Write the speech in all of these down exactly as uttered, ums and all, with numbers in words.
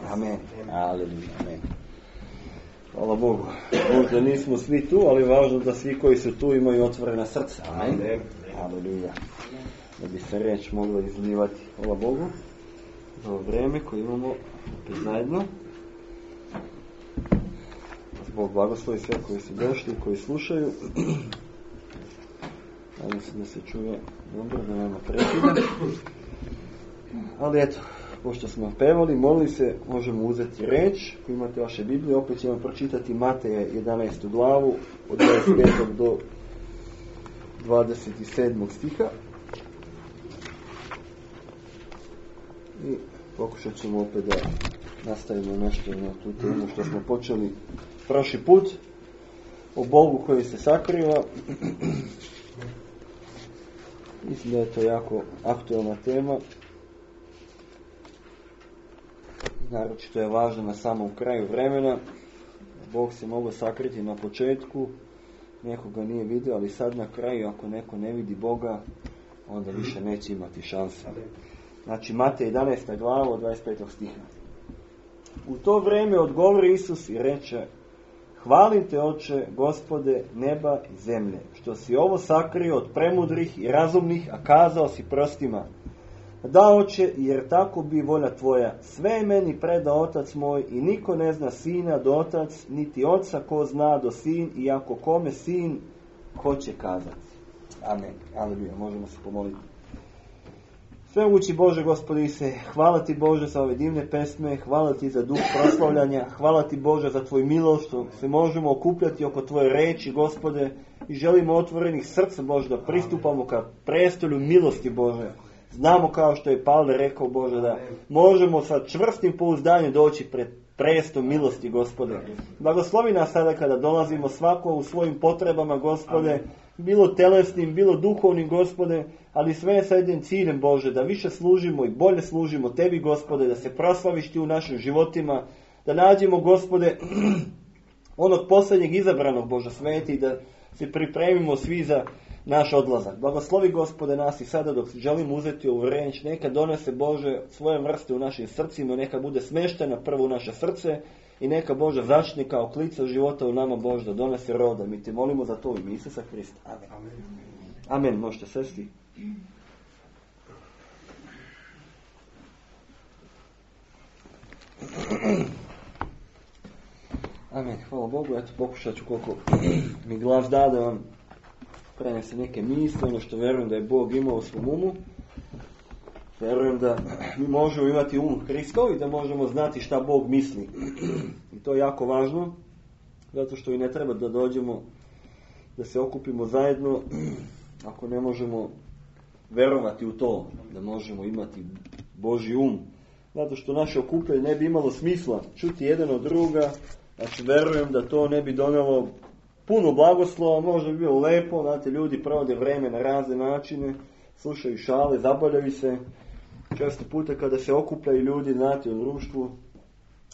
Amen. Aleluja. Amen. Hvala Bogu. Možda nismo svi tu, ali važno da svi koji su tu imaju otvorena srca. Amen. Aleluja. Da bi se reč mogla izlivati. Hvala Bogu za ovo vreme koje imamo opet zajedno. Bog blagoslovi sve koji su došli, koji slušaju. Nadam se da se čuje dobro, da nema prekida. Ali eto, pošto smo pevali, molili se, možemo uzeti reč. Ako imate vaše Biblije, opet ćemo pročitati Mateja jedanaestu glavu od dvadeset petog do dvadeset sedmog stiha. I pokušat ćemo opet da nastavimo nešto na tu temu što smo počeli prošli put, o Bogu koji se sakriva. Mislim da je to jako aktualna tema. Naročito je važno na samom kraju vremena. Bog se mogao sakriti na početku, neko ga nije vidio, ali sad na kraju, ako neko ne vidi Boga, onda više neće imati šanse. Znači, Matej jedanaesta glava od dvadeset petog stiha. U to vrijeme odgovori Isus i reče: Hvalim te, Oče, Gospode neba i zemlje, što si ovo sakrio od premudrih i razumnih, a kazao si prostima. Da, Oče, jer tako bi volja tvoja. Sve je meni preda Otac moj i niko ne zna Sina do Otac, niti Oca ko zna do Sin, i ako kome Sin hoće kazati. Amen. Aleluja. Možemo se pomoliti. Svemogući Bože, Gospodi se, hvala ti Bože za ove divne pesme, hvala ti za duh proslavljanja, hvala ti Bože za tvoj milost, što se možemo okupljati oko tvoje reči, Gospode, i želimo otvorenih srca, Bože, da pristupamo ka prestolju milosti, Bože. Znamo, kao što je Pavle rekao, Bože, da možemo sa čvrstim pouzdanjem doći pred prestol milosti, Gospode. Blagoslovi nas sada kada dolazimo svako u svojim potrebama, Gospode, bilo telesnim, bilo duhovnim, Gospode, ali sve sa jednim ciljem, Bože, da više služimo i bolje služimo tebi, Gospode, da se proslaviš ti u našim životima, da nađemo, Gospode, onog posljednjeg izabranog, Bože sveti, da se pripremimo svi za naš odlazak. Blagoslovi, Gospode, nas i sada dok želimo uzeti ovu reč, neka donese, Bože, svoje vrste u našim srcima, neka bude smeštena prvo u naše srce i neka, Bože, začne kao klica života u nama, Bože, da donese roda. Mi te molimo za to u ime Isusa Hrista. Amen. Amen. Amen. Možete sesti. Amen. Hvala Bogu. Eto, pokušat ću koliko mi glas da da vam prenese neke misle, ono što verujem da je Bog imao u svom umu. Verujem da mi možemo imati um Hristov i da možemo znati šta Bog misli. I to je jako važno, zato što i ne treba da dođemo, da se okupimo zajedno, ako ne možemo verovati u to, da možemo imati Božji um. Zato što naše okupljanje ne bi imalo smisla čuti jedan od druga. Znači, verujem da to ne bi donelo puno blagoslova, možda bi bilo lepo, znate, ljudi provode vreme na razne načine, slušaju šale, zabavljaju se. Često puta kada se okupljaju ljudi, znate, u društvu,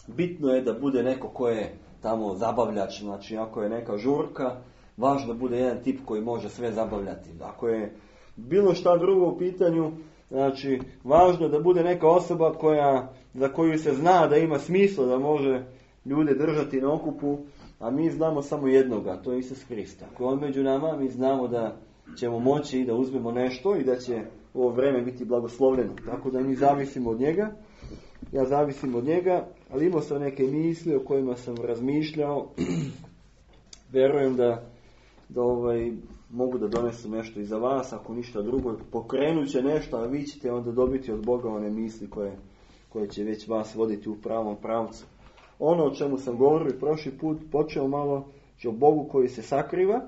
bitno je da bude neko ko je tamo zabavljač, znači ako je neka žurka, važno da bude jedan tip koji može sve zabavljati. Ako je bilo šta drugo u pitanju, znači važno je da bude neka osoba koja, za koju se zna da ima smisla, da može ljude držati na okupu, a mi znamo samo jednoga, to je Isus Hrista. Ako je on među nama, mi znamo da ćemo moći da uzmemo nešto i da će ovo vreme biti blagoslovljeno. Tako da mi zavisimo od njega, ja zavisim od njega, ali imao sam neke misli o kojima sam razmišljao. Verujem da, da ovaj, mogu da donesu nešto i za vas, ako ništa drugo, pokrenut će nešto, a vi ćete onda dobiti od Boga one misli koje, koje će već vas voditi u pravom pravcu. Ono o čemu sam govorio i prošli put, počeo malo o Bogu koji se sakriva.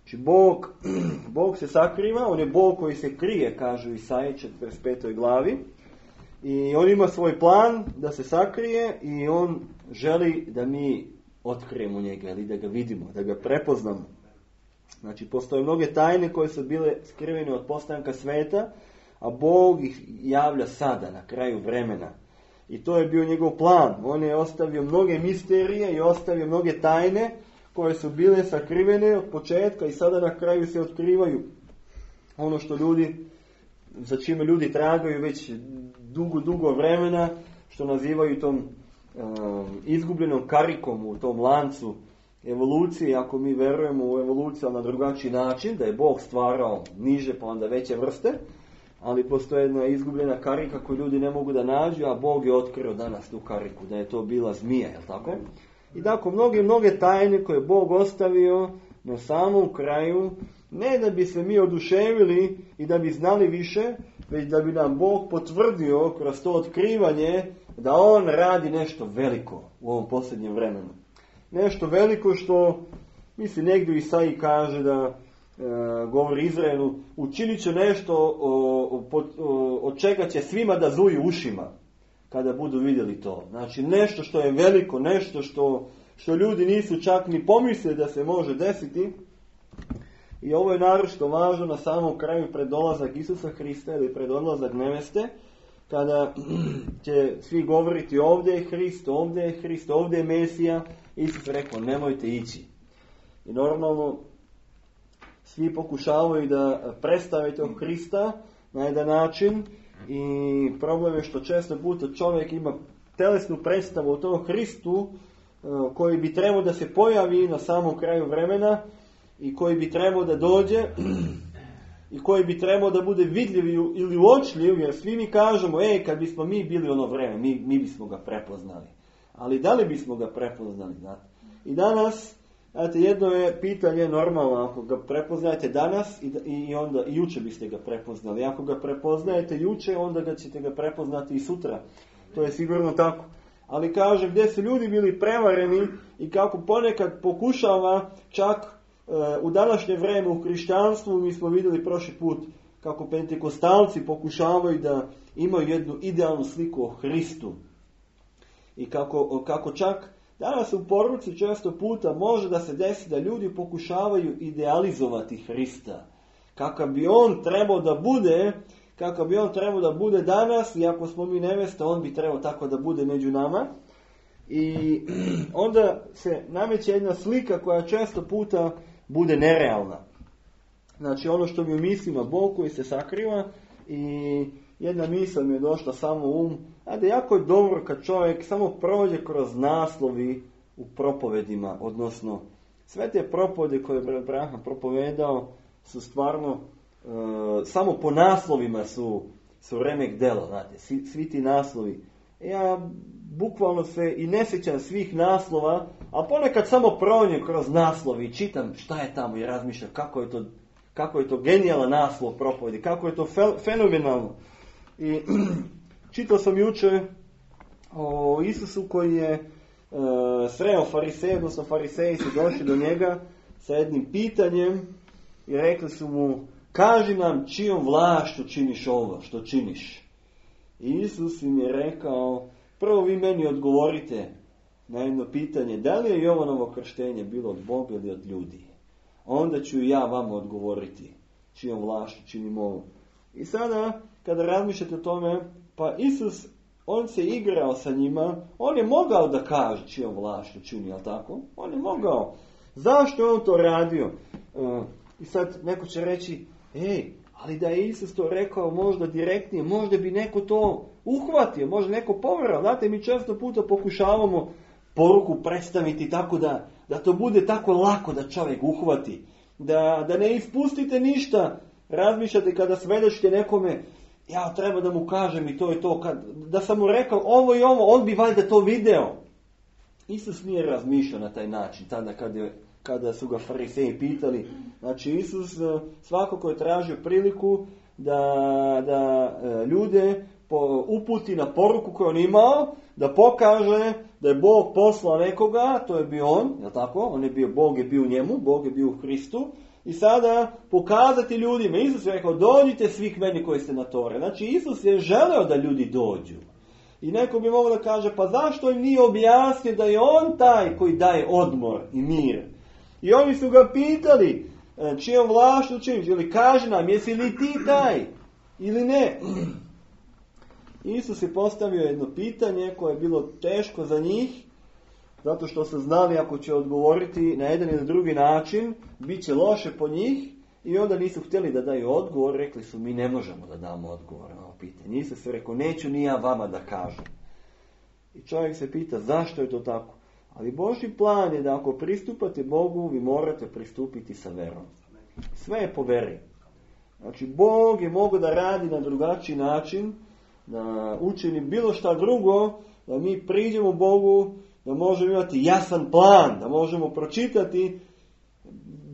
Znači Bog, Bog se sakriva, on je Bog koji se krije, kažu Isaiji četrdeset petoj glavi. I on ima svoj plan da se sakrije i on želi da mi otkrijemo njega ili da ga vidimo, da ga prepoznamo. Znači postoje mnoge tajne koje su bile skrivene od postanka sveta, a Bog ih javlja sada, na kraju vremena. I to je bio njegov plan. On je ostavio mnoge misterije i ostavio mnoge tajne koje su bile sakrivene od početka i sada na kraju se otkrivaju. Ono što ljudi, za čime ljudi tragaju već dugo, dugo vremena, što nazivaju tom um, izgubljenom karikom u tom lancu evolucije, ako mi verujemo u evoluciju na drugačiji način, da je Bog stvarao niže pa onda veće vrste, ali postoje jedna izgubljena karika koju ljudi ne mogu da nađu, a Bog je otkrio danas tu kariku, da je to bila zmija, je li tako? I tako, mnoge, mnoge tajne koje Bog ostavio na samom kraju, ne da bi se mi oduševili i da bi znali više, već da bi nam Bog potvrdio kroz to otkrivanje da On radi nešto veliko u ovom posljednjem vremenu. Nešto veliko što, mislim, negdje Isaiji kaže da e, govori Izraelu, učinit će nešto o, o, o, od čega će svima da zuju ušima kada budu vidjeli to. Znači nešto što je veliko, nešto što, što ljudi nisu čak ni pomislili da se može desiti. I ovo je naročito važno na samom kraju pred dolazak Isusa Hrista ili pred odlazak neveste, kada će svi govoriti ovdje je Hrist, ovdje je Hrist, ovdje je Mesija. Isus rekao nemojte ići. I normalno svi pokušavaju da predstave tog Hrista na jedan način i problem je što često puta čovjek ima telesnu predstavu o tom Hristu koji bi trebao da se pojavi na samom kraju vremena i koji bi trebao da dođe i koji bi trebao da bude vidljiv ili uočljiv, jer svi mi kažemo, ej, kad bismo mi bili ono vreme, mi, mi bismo ga prepoznali. Ali da li bismo ga prepoznali, znate? I danas, znate, jedno je pitanje normalno, ako ga prepoznajete danas i, i onda i juče biste ga prepoznali. Ako ga prepoznajete juče, onda ga ćete ga prepoznati i sutra. To je sigurno tako. Ali kaže, gdje su ljudi bili prevareni i kako ponekad pokušava čak u današnje vrijeme u hrišćanstvu, mi smo vidjeli prošli put kako pentekostalci pokušavaju da imaju jednu idealnu sliku o Hristu. I kako, kako čak danas u poruci često puta može da se desi da ljudi pokušavaju idealizovati Hrista. Kakav bi on trebao da bude, kakav bi on trebao da bude danas, i ako smo mi nevesta, on bi trebao tako da bude među nama. I onda se nameće jedna slika koja često puta bude nerealna. Znači ono što mi u mislima Bog koji se sakriva, i jedna misla mi je došla samo u um, a da jako je dobro kad čovjek samo prođe kroz naslovi u propovedima, odnosno sve te propovede koje je Abraham propovedao su stvarno e, samo po naslovima su, su remek delo, znate, svi, svi ti naslovi. Ja bukvalno se i ne sjećam svih naslova, a ponekad samo prođem kroz naslovi i čitam šta je tamo i razmišljam kako je to, kako je to genijalan naslov propovedi, kako je to fe, fenomenalno. I čitao sam jučer o Isusu koji je e, sreo fariseje, odnosno fariseji su došli do njega sa jednim pitanjem i rekli su mu, kaži nam čijom vlašću činiš ovo što činiš. I Isus im je rekao, prvo vi meni odgovorite na jedno pitanje, da li je Jovanovo krštenje bilo od Boga ili od ljudi? Onda ću i ja vama odgovoriti čijom vlašću činim ovo. I sada, kada razmišljate o tome, pa Isus, on se igrao sa njima, on je mogao da kaže čijom vlašću čini, jel tako? On je mogao. Zašto je on to radio? Uh, I sad neko će reći, ej, ali da je Isus to rekao možda direktnije, možda bi neko to uhvatio, možda neko povjerao. Znate, mi često puta pokušavamo poruku predstaviti tako da, da to bude tako lako da čovjek uhvati. Da, da ne ispustite ništa. Razmišljate kada svedočite nekome, ja treba da mu kažem i to i to. Kad, da sam mu rekao ovo i ovo, on bi valjda to video. Isus nije razmišljao na taj način tada kada je kada su ga fariseji pitali. Znači Isus svakako je tražio priliku da, da ljude uputi na poruku koju on imao, da pokaže da je Bog poslao nekoga, to je bio on, je tako? On je bio, Bog je bio u njemu, Bog je bio u Hristu. I sada pokazati ljudima, Isus je rekao, dođite svih meni koji ste na tore. Znači Isus je želeo da ljudi dođu. I neko bi mogao da kaže, pa zašto im nije objasnio da je on taj koji daje odmor i mir? I oni su ga pitali, čijom vlašću činiš, ili kaži nam, jesi li ti taj ili ne? Isus je postavio jedno pitanje koje je bilo teško za njih, zato što su znali ako će odgovoriti na jedan ili drugi način, bit će loše po njih, i onda nisu htjeli da daju odgovor, rekli su mi ne možemo da damo odgovor na ovo pitanje. Isus je rekao, neću ni ja vama da kažem. I čovjek se pita zašto je to tako. Ali Božji plan je da ako pristupate Bogu, vi morate pristupiti sa verom. Sve je po veri. Znači, Bog je mogao da radi na drugačiji način, da učini bilo šta drugo, da mi priđemo Bogu, da možemo imati jasan plan, da možemo pročitati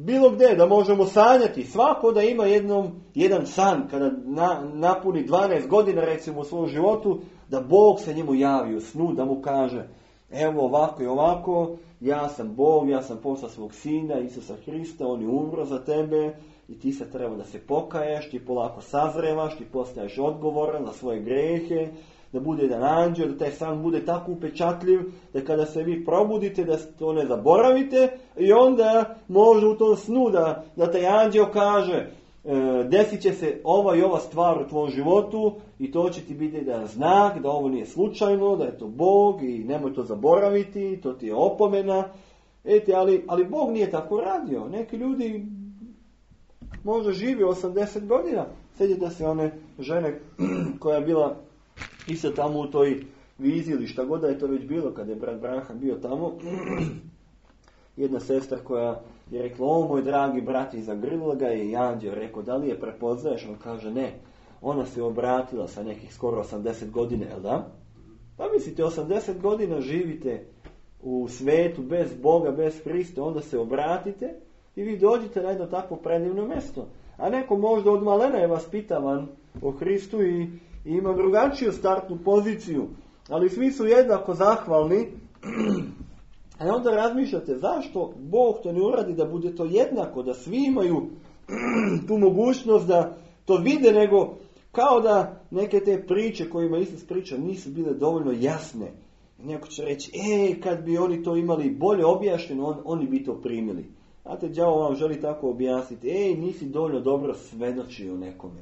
bilo gdje, da možemo sanjati. Svako da ima jednom, jedan san, kada na, napuni dvanaest godina, recimo, u svom životu, da Bog se njemu javi u snu, da mu kaže, evo ovako i ovako, ja sam Bog, ja sam poslao svog sina, Isusa Hrista, on je umro za tebe i ti se treba da se pokaješ, ti polako sazrevaš, ti postaješ odgovoran za svoje grehe, da bude jedan anđel, da taj san bude tako upečatljiv, da kada se vi probudite, da to ne zaboravite i onda može u tom snu da, da taj anđel kaže, e, desit će se ova i ova stvar u tvom životu i to će ti biti jedan znak da ovo nije slučajno, da je to Bog i nemoj to zaboraviti, to ti je opomena. Eti, ali, ali Bog nije tako radio. Neki ljudi možda živi osamdeset godina. Sjetite se one žene koja je bila isto tamo u toj viziji ili šta god da je to već bilo kada je brat Branham bio tamo. Jedna sestra koja je rekla, o moj dragi brat, i zagrlila ga i anđeo rekao, da li je prepoznaješ? On kaže, ne. Ona se obratila sa nekih skoro osamdeset godina, jel da? Pa mislite, osamdeset godina živite u svetu bez Boga, bez Hrista, onda se obratite i vi dođete na jedno takvo predivno mjesto. A neko možda od malena je vas pitavan o Hristu i, i ima drugačiju startnu poziciju, ali svi su jednako zahvalni. A onda razmišljate zašto Bog to ne uradi da bude to jednako, da svi imaju tu mogućnost da to vide, nego kao da neke te priče kojima Isus priča nisu bile dovoljno jasne. Neko će reći, e, kad bi oni to imali bolje objašnjeno, on, oni bi to primili. Znate, đavo vam želi tako objasniti, ej, nisi dovoljno dobro svedočio nekome,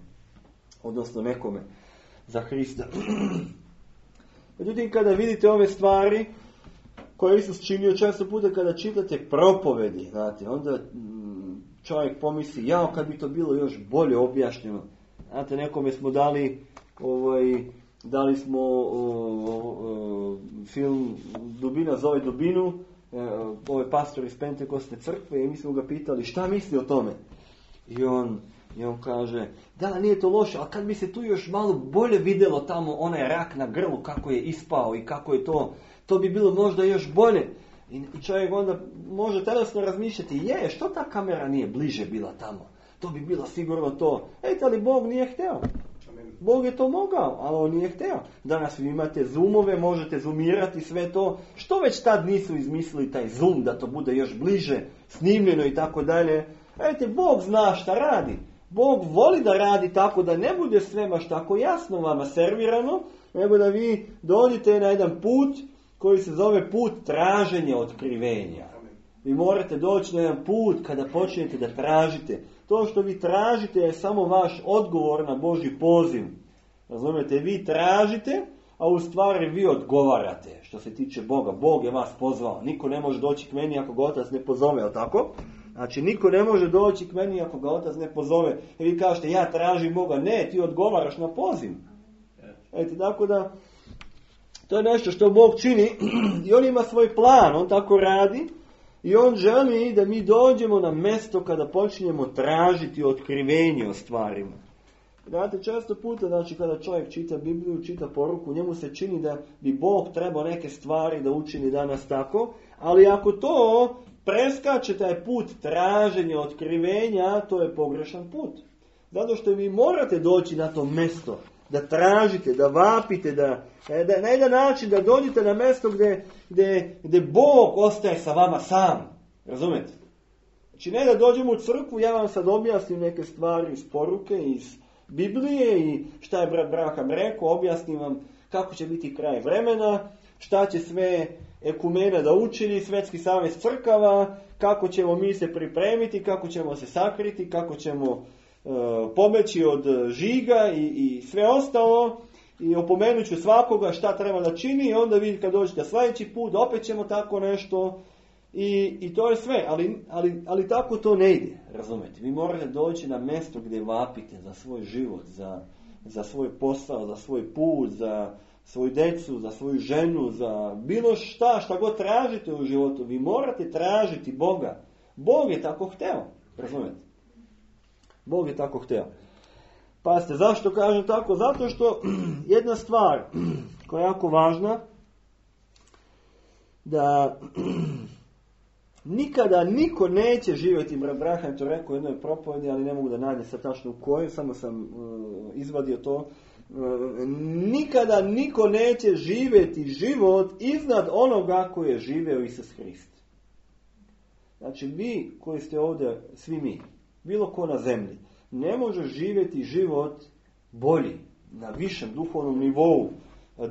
odnosno nekome za Hrista. Međutim, kada vidite ove stvari koje Isus činio, često puta kada čitate propovedi, znate, onda čovjek pomisli, jao, kad bi to bilo još bolje objašnjeno. Znate, nekome smo dali, ovaj, dali smo o, o, film Dubina zove dubinu, ovaj pastor iz Pentekostne crkve, i mi smo ga pitali šta misli o tome. I on, i on kaže, da, nije to loše, ali kad bi se tu još malo bolje vidjelo tamo onaj rak na grlu, kako je ispao i kako je to, to bi bilo možda još bolje. I čovjek onda može telesno razmišljati, je, što ta kamera nije bliže bila tamo? To bi bilo sigurno to. Ejte, ali Bog nije hteo. Bog je to mogao, ali on nije hteo. Danas vi imate zoomove, možete zoomirati sve to. Što već tad nisu izmislili taj zoom, da to bude još bliže, snimljeno i tako dalje. Ejte, Bog zna šta radi. Bog voli da radi tako da ne bude sve baš tako jasno vama servirano, nego da vi dođete na jedan put koji se zove put traženja otkrivenja. Vi morate doći na jedan put kada počnete da tražite. To što vi tražite je samo vaš odgovor na Božji poziv. Razumijete, vi tražite, a u stvari vi odgovarate što se tiče Boga. Bog je vas pozvao. Niko ne može doći k meni ako ga Otac ne pozove, jel tako? Znači, niko ne može doći k meni ako ga Otac ne pozove. I vi kažete, ja tražim Boga. Ne, ti odgovaraš na poziv. Eto, tako da, to je nešto što Bog čini i on ima svoj plan, on tako radi. I on želi da mi dođemo na mjesto kada počinjemo tražiti otkrivenje o stvarima. Znate, često puta, znači, kada čovjek čita Bibliju, čita poruku, njemu se čini da bi Bog trebao neke stvari da učini danas tako, ali ako to preskače taj put traženja otkrivenja, to je pogrešan put. Zato što vi morate doći na to mjesto, da tražite, da vapite, da, da na jedan način da dođete na mjesto gdje, gdje, gdje Bog ostaje sa vama sam. Razumete? Znači, ne da dođemo u crkvu, ja vam sad objasnim neke stvari iz poruke, iz Biblije i šta je brat Branham rekao, objasnim vam kako će biti kraj vremena, šta će sve ekumena da učini, Svetski savez crkava, kako ćemo mi se pripremiti, kako ćemo se sakriti, kako ćemo pobeći od žiga i, i sve ostalo, i opomenut ću svakoga šta treba da čini, i onda vi kad dođete sljedeći put opet ćemo tako nešto, i, i to je sve, ali, ali, ali tako to ne ide, razumete. Vi morate doći na mjesto gdje vapite za svoj život, za, za svoj posao, za svoj put, za svoju djecu, za svoju ženu, za bilo šta, šta god tražite u životu, vi morate tražiti Boga. Bog je tako hteo, razumijete? Bog je tako hteo. Pazite, zašto kažem tako? Zato što jedna stvar koja je jako važna, da nikada niko neće živjeti, Branham to rekao u jednoj propovedi, ali ne mogu da nađem sad tačno u kojoj, samo sam uh, izvadio to, uh, nikada niko neće živjeti život iznad onoga koji je živeo Isus Hrist. Znači vi koji ste ovdje, svi mi, bilo ko na zemlji, ne može živjeti život bolji, na višem duhovnom nivou,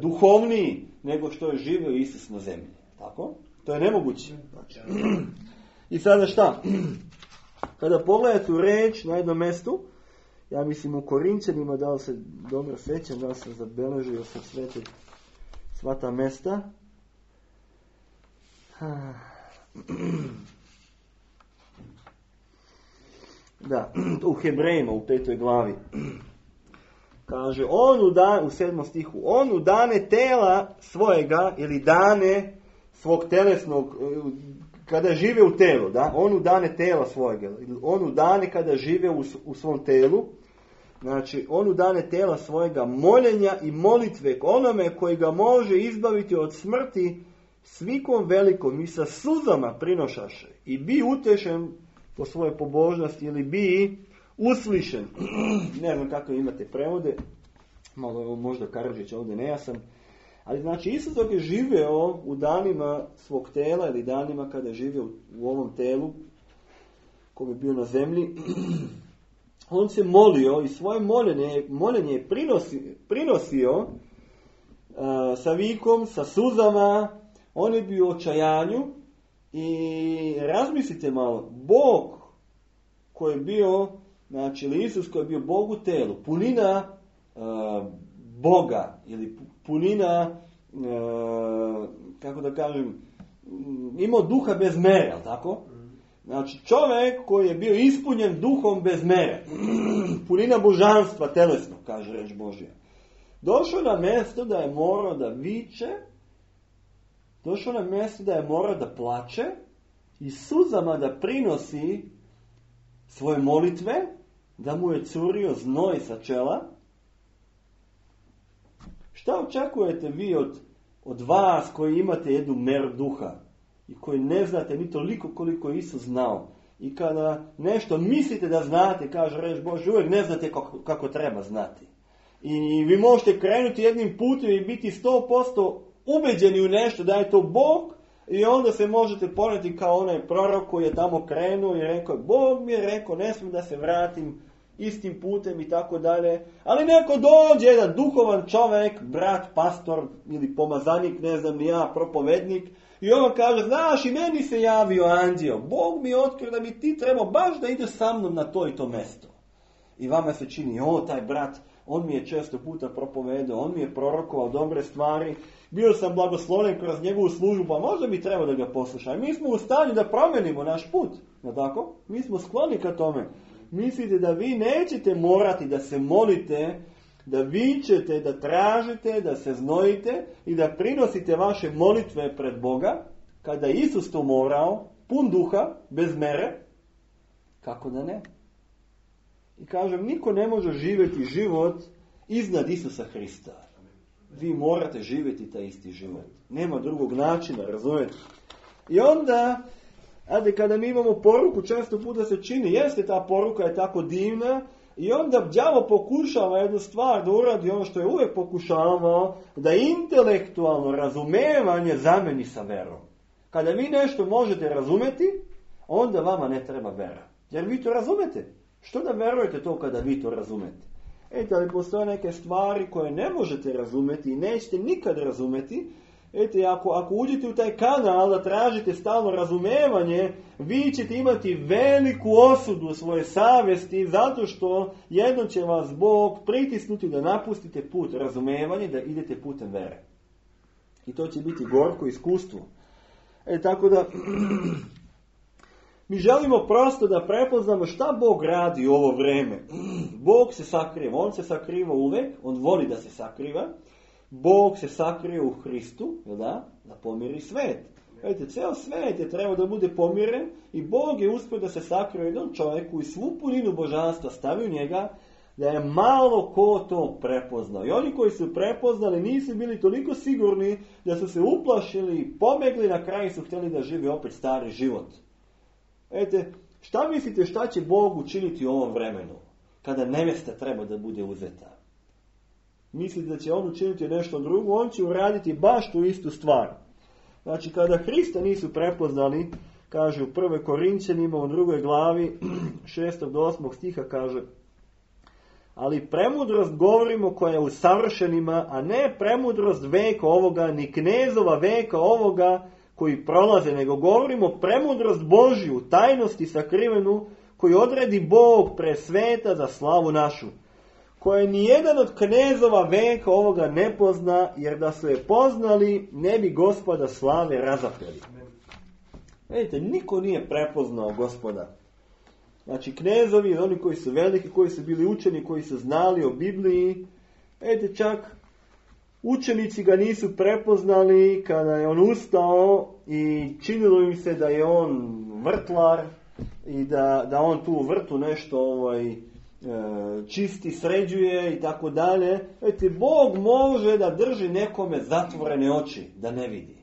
duhovniji nego što je živio Isus na zemlji. Tako? To je nemoguće. Znači. I sada šta? Kada pogledate u reč na jednom mjestu, ja mislim u Korinćanima, da li se dobro sjećam, da li sam zabeležio sa sve te, sva ta mjesta. Da, u Hebrejima, u petoj glavi. Kaže, on u, dan, u sedmom stihu, on u dane tela svojega, ili dane svog telesnog, kada žive u telu, da, on u dane tela svojega, on u dane kada žive u, u svom telu, znači, on u dane tela svojega moljenja i molitve k onome koji ga može izbaviti od smrti svikom velikom i sa suzama prinošaše i bi utešen po svojoj pobožnosti ili bi uslišen. Ne znam kako imate prevode, malo možda Karadžić ovdje nejasan, ali znači Isus dok je živeo u danima svog tela ili danima kada je živio u ovom telu koji je bio na zemlji, on se molio i svoje moljenje, moljenje je prinosi, prinosio uh, sa vikom, sa suzama, on je bio u očajanju. I razmislite malo, Bog koji je bio, znači ili Isus koji je bio Bog u telu, punina uh, Boga ili punina, uh, kako da kažem, imao duha bez mere, tako? Znači čovjek koji je bio ispunjen duhom bez mere, punina božanstva telesnog, kaže reč Božja. Došao na mjesto da je morao da viče, došao na mjesto da je morao da plače i suzama da prinosi svoje molitve, da mu je curio znoj sa čela. Šta očekujete vi od, od vas koji imate jednu meru duha i koji ne znate ni toliko koliko Isus znao? I kada nešto mislite da znate, kaže reč Bože, uvijek ne znate kako, kako treba znati. I vi možete krenuti jednim putem i biti sto posto ubeđeni u nešto da je to Bog i onda se možete poneti kao onaj prorok koji je tamo krenuo i rekao, Bog mi je rekao, ne smijem da se vratim istim putem i tako dalje. Ali neko dođe, jedan duhovan čovjek, brat, pastor ili pomazanik, ne znam ni ja, propovednik, i on kaže, znaš, i meni se javio anđeo, Bog mi je otkrio da mi ti trebao baš da ideš sa mnom na to i to mjesto. I vama se čini, o, taj brat, on mi je često puta propovedao, on mi je prorokovao dobre stvari, bio sam blagosloven kroz njegovu službu, pa možda bi trebao da ga poslušam. Mi smo u stanju da promenimo naš put, no tako? Mi smo skloni ka tome. Mislite da vi nećete morati da se molite, da vičete, da tražite, da se znojite i da prinosite vaše molitve pred Boga, kada je Isus to morao, pun duha, bez mere, kako da ne? I kažem, niko ne može živjeti život iznad Isusa Hrista. Vi morate živjeti taj isti život. Nema drugog načina, razumijete? I onda, ajde, kada mi imamo poruku, često puta se čini, jeste ta poruka je tako divna, i onda đavo pokušava jednu stvar da uradi ono što je uvijek pokušavao, da intelektualno razumevanje zameni sa verom. Kada vi nešto možete razumjeti, onda vama ne treba vera. Jer vi to razumete. Što da verujete to kada vi to razumete? Ete, ali postoje neke stvari koje ne možete razumjeti i nećete nikad razumjeti. Ete, ako, ako uđete u taj kanal da tražite stalno razumevanje, vi ćete imati veliku osudu svoje savjesti, zato što jedno će vas Bog pritisnuti da napustite put razumevanja i da idete putem vere. I to će biti gorko iskustvo. E, tako da mi želimo prosto da prepoznamo šta Bog radi u ovo vrijeme. Bog se sakriva, on se sakriva uvijek, on voli da se sakriva. Bog se sakrio u Hristu, da, da pomiri svet. Vidite, ceo svet je trebao da bude pomiren i Bog je uspio da se sakrio jednom čovjeku i svu puninu božanstva stavio njega, da je malo ko to prepoznao. I oni koji su prepoznali nisu bili toliko sigurni da su se uplašili i pomegli, na kraju su htjeli da žive opet stari život. Vidite, šta mislite šta će Bog učiniti u ovom vremenu, kada nevesta treba da bude uzeta? Mislite da će on učiniti nešto drugo? On će uraditi baš tu istu stvar. Znači, kada Hrista nisu prepoznali, kaže u prvoj Korinćanima u drugoj glavi, šestog do osmog stiha kaže: ali premudrost govorimo koja je u savršenima, a ne premudrost veka ovoga, ni knezova veka ovoga koji prolaze, nego govorimo premudrost Božju, tajnosti sakrivenu, koju odredi Bog pre sveta za slavu našu, koje nijedan od knezova veka ovoga ne pozna, jer da su je poznali, ne bi Gospoda slave razapeli. Vidite, niko nije prepoznao Gospoda. Znači, knezovi, oni koji su veliki, koji su bili učeni, koji su znali o Bibliji, vidite, čak učenici ga nisu prepoznali kada je on ustao i činilo im se da je on vrtlar i da, da on tu u vrtu nešto ovaj, čisti, sređuje i tako dalje. Vidite, Bog može da drži nekome zatvorene oči, da ne vidi.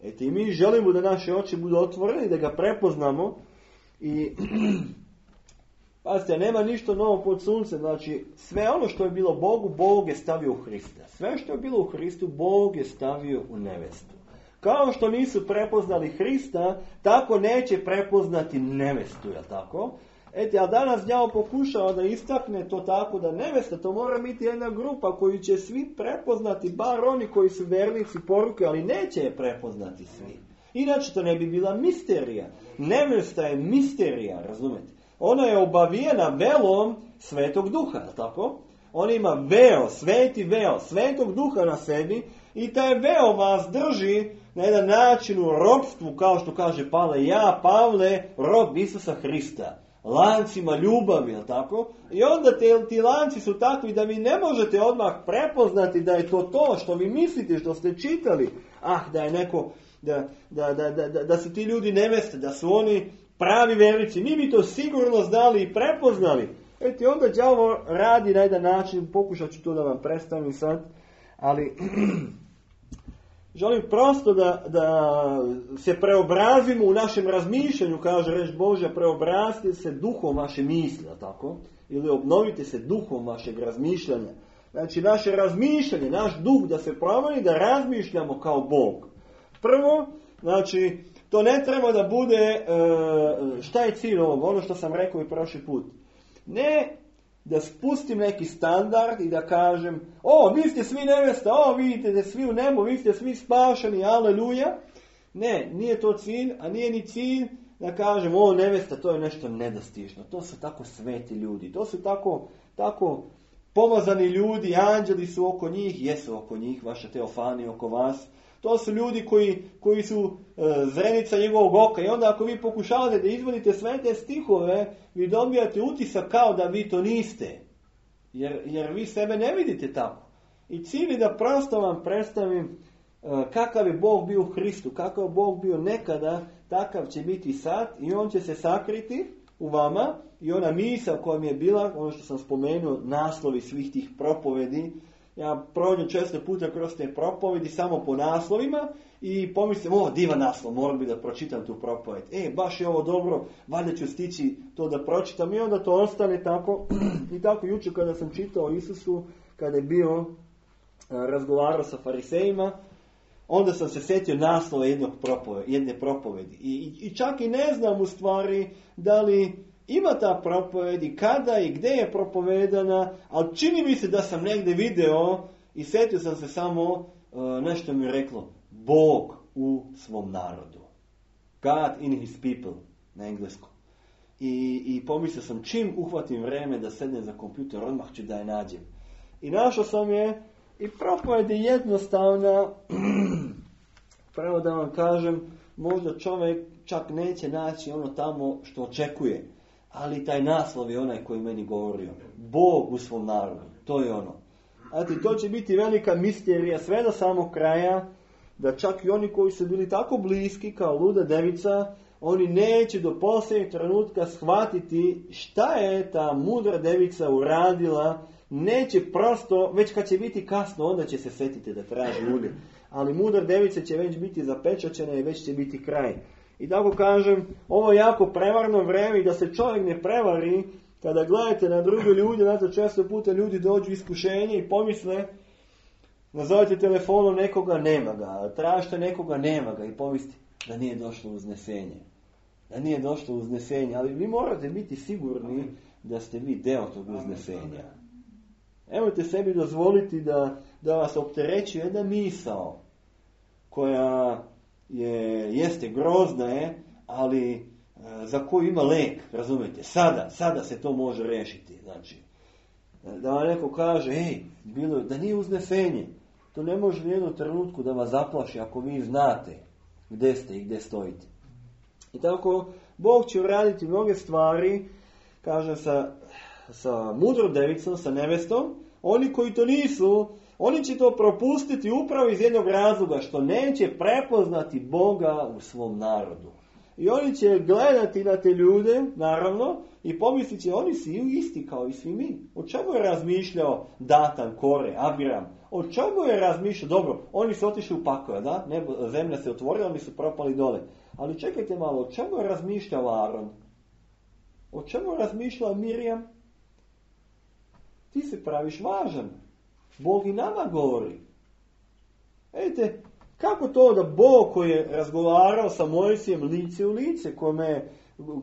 Vidite, i mi želimo da naše oči budu otvorene, da ga prepoznamo. I pazite, nema ništa novo pod suncem. Znači, sve ono što je bilo Bogu, Bog je stavio u Hrista. Sve što je bilo u Hristu, Bog je stavio u nevestu. Kao što nisu prepoznali Hrista, tako neće prepoznati nevestu, je tako? Ete, a danas đavo pokušava da istakne to tako da nevesta, to mora biti jedna grupa koju će svi prepoznati, bar oni koji su vernici poruke, ali neće je prepoznati svi. Inače to ne bi bila misterija. Nevesta je misterija, razumete? Ona je obavijena velom Svetog Duha, tako? On ima veo, sveti veo, Svetog Duha na sebi i taj veo vas drži na jedan način u ropstvu, kao što kaže Pavle, ja, Pavle, rob Isusa Hrista, lancima ljubavi, tako? I onda te, ti lanci su takvi da vi ne možete odmah prepoznati da je to to što vi mislite, što ste čitali. Ah, da je neko, da, da, da, da, da su ti ljudi neveste, da su oni pravi vernici. Mi bi to sigurno znali i prepoznali. Eti, onda đavo radi na jedan način, pokušat ću to da vam predstavim sad, ali želim prosto da, da se preobrazimo u našem razmišljanju, kaže reč Božja, preobrazite se duhom vaše misli, tako? Ili obnovite se duhom vašeg razmišljanja. Znači, naše razmišljanje, naš duh da se promeni, da razmišljamo kao Bog. Prvo, znači, to ne treba da bude, šta je cilj ovog, ono što sam rekao i prošli put. Ne da spustim neki standard i da kažem, o, vi ste svi nevesta, o, vidite da svi u nebu, vi ste svi spašeni, aleluja. Ne, nije to cilj, a nije ni cilj da kažem, o, nevesta, to je nešto nedostižno. To su tako sveti ljudi, to su tako, tako pomazani ljudi, anđeli su oko njih, jesu oko njih, vaša teofani oko vas. To su ljudi koji, koji su e, zrenica njegovog oka. I onda ako vi pokušavate da izvodite sve te stihove, vi dobijate utisak kao da vi to niste. Jer, jer vi sebe ne vidite tako. I cilj je da prosto vam predstavim e, kakav je Bog bio u Hristu, kakav je Bog bio nekada, takav će biti sad i on će se sakriti u vama. I ona misa koja mi je bila, ono što sam spomenuo, naslovi svih tih propovedi, ja prođem često puta kroz te propovedi samo po naslovima i pomislim, o, divan naslov, moram bi da pročitam tu propoved. E, baš je ovo dobro, valjda ću stići to da pročitam i onda to ostane tako. I tako jučer kada sam čitao o Isusu, kada je bio razgovarao sa farisejima, onda sam se sjetio naslova jednog propovedi, jedne propovedi. I, i, I čak i ne znam u stvari da li ima ta propoved i kada i gdje je propovedana, ali čini mi se da sam negdje video i sjetio sam se samo, uh, nešto mi je reklo, Bog u svom narodu. God in his people, na engleskom. I, i pomislio sam, čim uhvatim vreme da sednem za kompjuter, odmah ću da je nađem. I našao sam je i propoved je jednostavna, pravo da vam kažem, možda čovjek čak neće naći ono tamo što očekuje. Ali taj naslov je onaj koji meni govorio. Bog u svom narodu. To je ono. Znate, to će biti velika misterija sve do samog kraja, da čak i oni koji su bili tako bliski kao luda devica, oni neće do posljednjeg trenutka shvatiti šta je ta mudra devica uradila, neće prosto, već kad će biti kasno, onda će se setiti da traži ulje. Ali mudra devica će već biti zapečaćena i već će biti kraj. I tako kažem, ovo je jako prevarno vreme i da se čovjek ne prevari, kada gledate na druge ljude, znate, često puta ljudi dođu iskušenje i pomisle, nazovete telefonom nekoga, nema ga, tražite nekoga, nema ga i pomislite da nije došlo uznesenje. Da nije došlo uznesenje, ali vi morate biti sigurni da ste vi deo tog uznesenja. Nemojte sebi dozvoliti da, da vas opterećuje jedna misao koja je, jeste grozna je, ali e, za koju ima lek, razumijete, sada, sada se to može rešiti. Znači, da vam neko kaže, ej, bilo je, da nije uznesenje, to ne može u jednom trenutku da vas zaplaši ako vi znate gdje ste i gdje stojite. I tako, Bog će uraditi mnoge stvari, kaže sa, sa mudrom devicom, sa nevestom. Oni koji to nisu, oni će to propustiti upravo iz jednog razloga, što neće prepoznati Boga u svom narodu. I oni će gledati na te ljude, naravno, i pomislit će, oni su isti kao i svi mi. O čemu je razmišljao Datan, Kore, Abiram? O čemu je razmišljao? Dobro, oni su otišli u pakao, da? Nebo, zemlja se otvorila, oni su propali dole. Ali čekajte malo, o čemu je razmišljao Aron? O čemu je razmišljao Mirjam? Ti se praviš važan. Bog i nama govori. Vidite, kako to da Bog koji je razgovarao sa Mojsijem lice u lice, kome je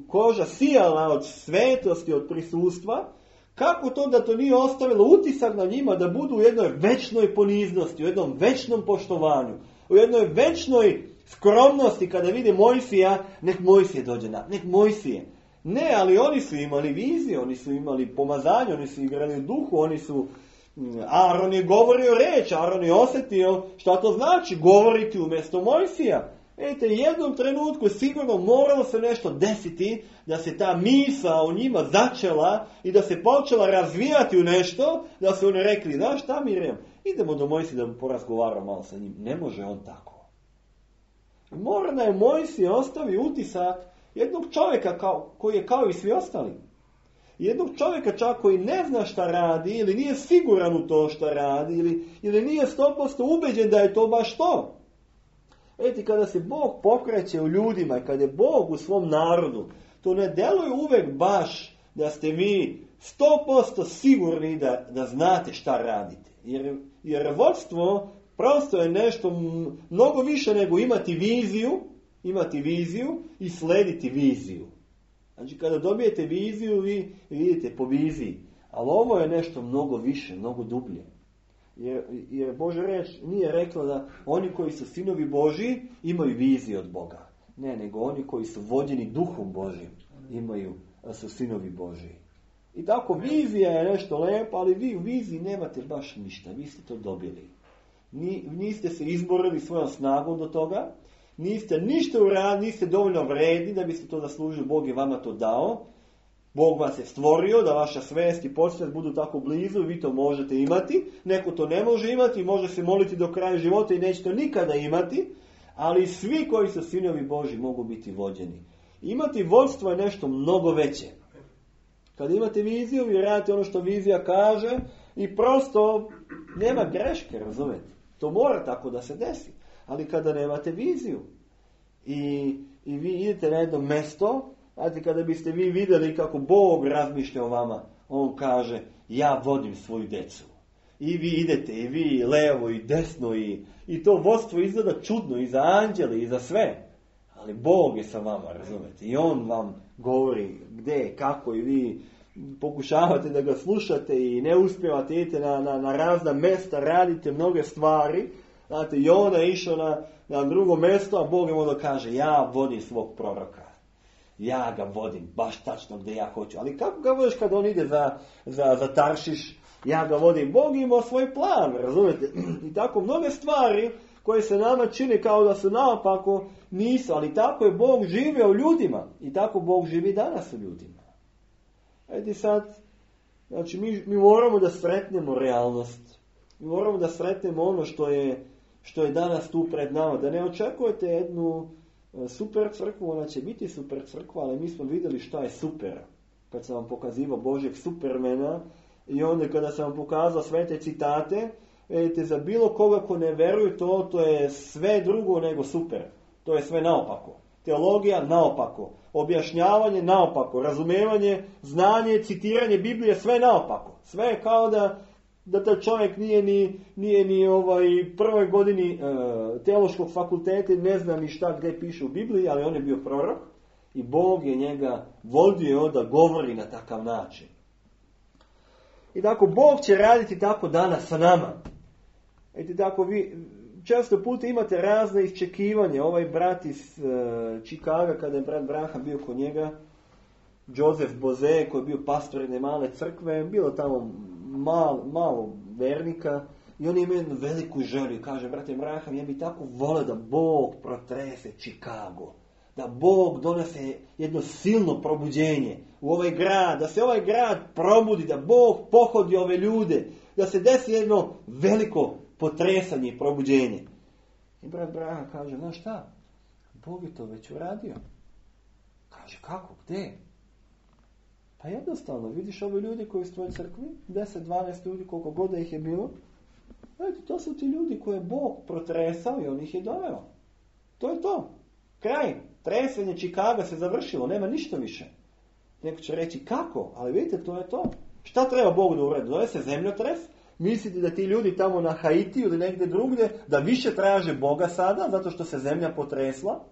koža sijala od svetosti, od prisustva, kako to da to nije ostavilo utisak na njima da budu u jednoj večnoj poniznosti, u jednom večnom poštovanju, u jednoj večnoj skromnosti kada vide Mojsija, nek Mojsije dođe na, nek Mojsije. Ne, ali oni su imali vizije, oni su imali pomazanje, oni su igrali u duhu, oni su... Aron je govorio reč, Aron je osjetio šta to znači govoriti umjesto Mojsija. Vidite, jednom trenutku sigurno moralo se nešto desiti da se ta misao u njima začela i da se počela razvijati u nešto, da su oni rekli, znaš šta Mirjam, idemo do Mojsija da porazgovaramo malo sa njim. Ne može on tako. Mora da je Mojsije ostavi utisak jednog čovjeka kao, koji je kao i svi ostali. Jednog čovjeka čak koji ne zna šta radi ili nije siguran u to šta radi ili, ili nije sto posto ubeđen da je to baš to. Vidite, kada se Bog pokreće u ljudima i kada je Bog u svom narodu, to ne deluje uvek baš da ste vi sto posto sigurni da, da znate šta radite. Jer, jer vodstvo prosto je nešto mnogo više nego imati viziju, imati viziju i slediti viziju. Znači, kada dobijete viziju, vi vidite po viziji. Ali ovo je nešto mnogo više, mnogo dublje. Jer, jer Božja reč nije rekla da oni koji su sinovi Božji imaju viziju od Boga. Ne, nego oni koji su vođeni duhom Božjim imaju, su sinovi Božji. I tako, vizija je nešto lepo, ali vi u viziji nemate baš ništa. Vi ste to dobili. Ni, niste se izborili svojom snagom do toga. Niste ništa uradili, niste dovoljno vredni da biste to zaslužili, Bog je vama to dao. Bog vas je stvorio da vaša svest i podsvest budu tako blizu, vi to možete imati. Neko to ne može imati, može se moliti do kraja života i neće to nikada imati, ali svi koji su sinovi Božji mogu biti vođeni. Imati vodstvo je nešto mnogo veće. Kada imate viziju, vi radite ono što vizija kaže i prosto nema greške, razumete? To mora tako da se desi. Ali kada nemate viziju i, i vi idete na jedno mesto, znate, kada biste vi vidjeli kako Bog razmišlja o vama, on kaže, ja vodim svoju decu. I vi idete, i vi levo i desno, i, i to vodstvo izgleda čudno i za anđele i za sve. Ali Bog je sa vama, razumete? I on vam govori gdje, kako, i vi pokušavate da ga slušate i ne uspijevate, idete na, na, na razna mesta, radite mnoge stvari. Znate, Jona je išao na, na drugo mjesto, a Bog je mu da kaže, ja vodim svog proroka. Ja ga vodim, baš tačno gdje ja hoću. Ali kako ga vodiš kad on ide za, za, za Taršiš? Ja ga vodim. Bog ima svoj plan, razumijete? I tako mnoge stvari koje se nama čine kao da su naopako, nisu. Ali tako je Bog živio u ljudima. I tako Bog živi danas u ljudima. Edi sad, znači mi, mi moramo da sretnemo realnost. Mi moramo da sretnemo ono što je, što je danas tu pred nama. Da ne očekujete jednu super crkvu, ona će biti super crkva, ali mi smo vidjeli šta je super. Kad sam vam pokazivao Božjeg supermena i onda kada sam vam pokazao sve te citate, vidite, za bilo koga ko ne veruje to, to je sve drugo nego super. To je sve naopako. Teologija naopako. Objašnjavanje naopako. Razumevanje, znanje, citiranje Biblije, sve naopako. Sve je kao da, da taj čovjek nije ni, nije ni ovaj prvoj godini e, teološkog fakulteta, ne zna ni šta gdje piše u Bibliji, ali on je bio prorok i Bog je njega vodio da govori na takav način. I tako Bog će raditi tako danas sa nama. I tako vi često puta imate razne iščekivanje. Ovaj brat iz uh, Čikaga, kada je brat Branham bio kod njega, Joseph Boze, koji je bio pastor jedne male crkve, bilo tamo mal, malo vernika, i on ima jednu veliku želju i kaže, brate Branham, ja bi tako volio da Bog protrese Čikago, da Bog donese jedno silno probuđenje u ovaj grad, da se ovaj grad probudi, da Bog pohodi ove ljude, da se desi jedno veliko potresanje i probuđenje. I brat Branham kaže, znaš šta, Bog je to već uradio. Kaže, kako, gdje? Pa jednostavno, vidiš ove ljudi koji su u tvojoj crkvi, deset dvanaest ljudi, koliko god da ih je bilo, eto, to su ti ljudi koje je Bog protresao i on ih je doveo. To je to. Kraj. Tresenje Čikaga se završilo, nema ništa više. Neko će reći kako, ali vidite, to je to. Šta treba Bog da uradi? Zove se zemljotres. Mislite da ti ljudi tamo na Haitiju ili negdje drugdje da više traže Boga sada zato što se zemlja potresla?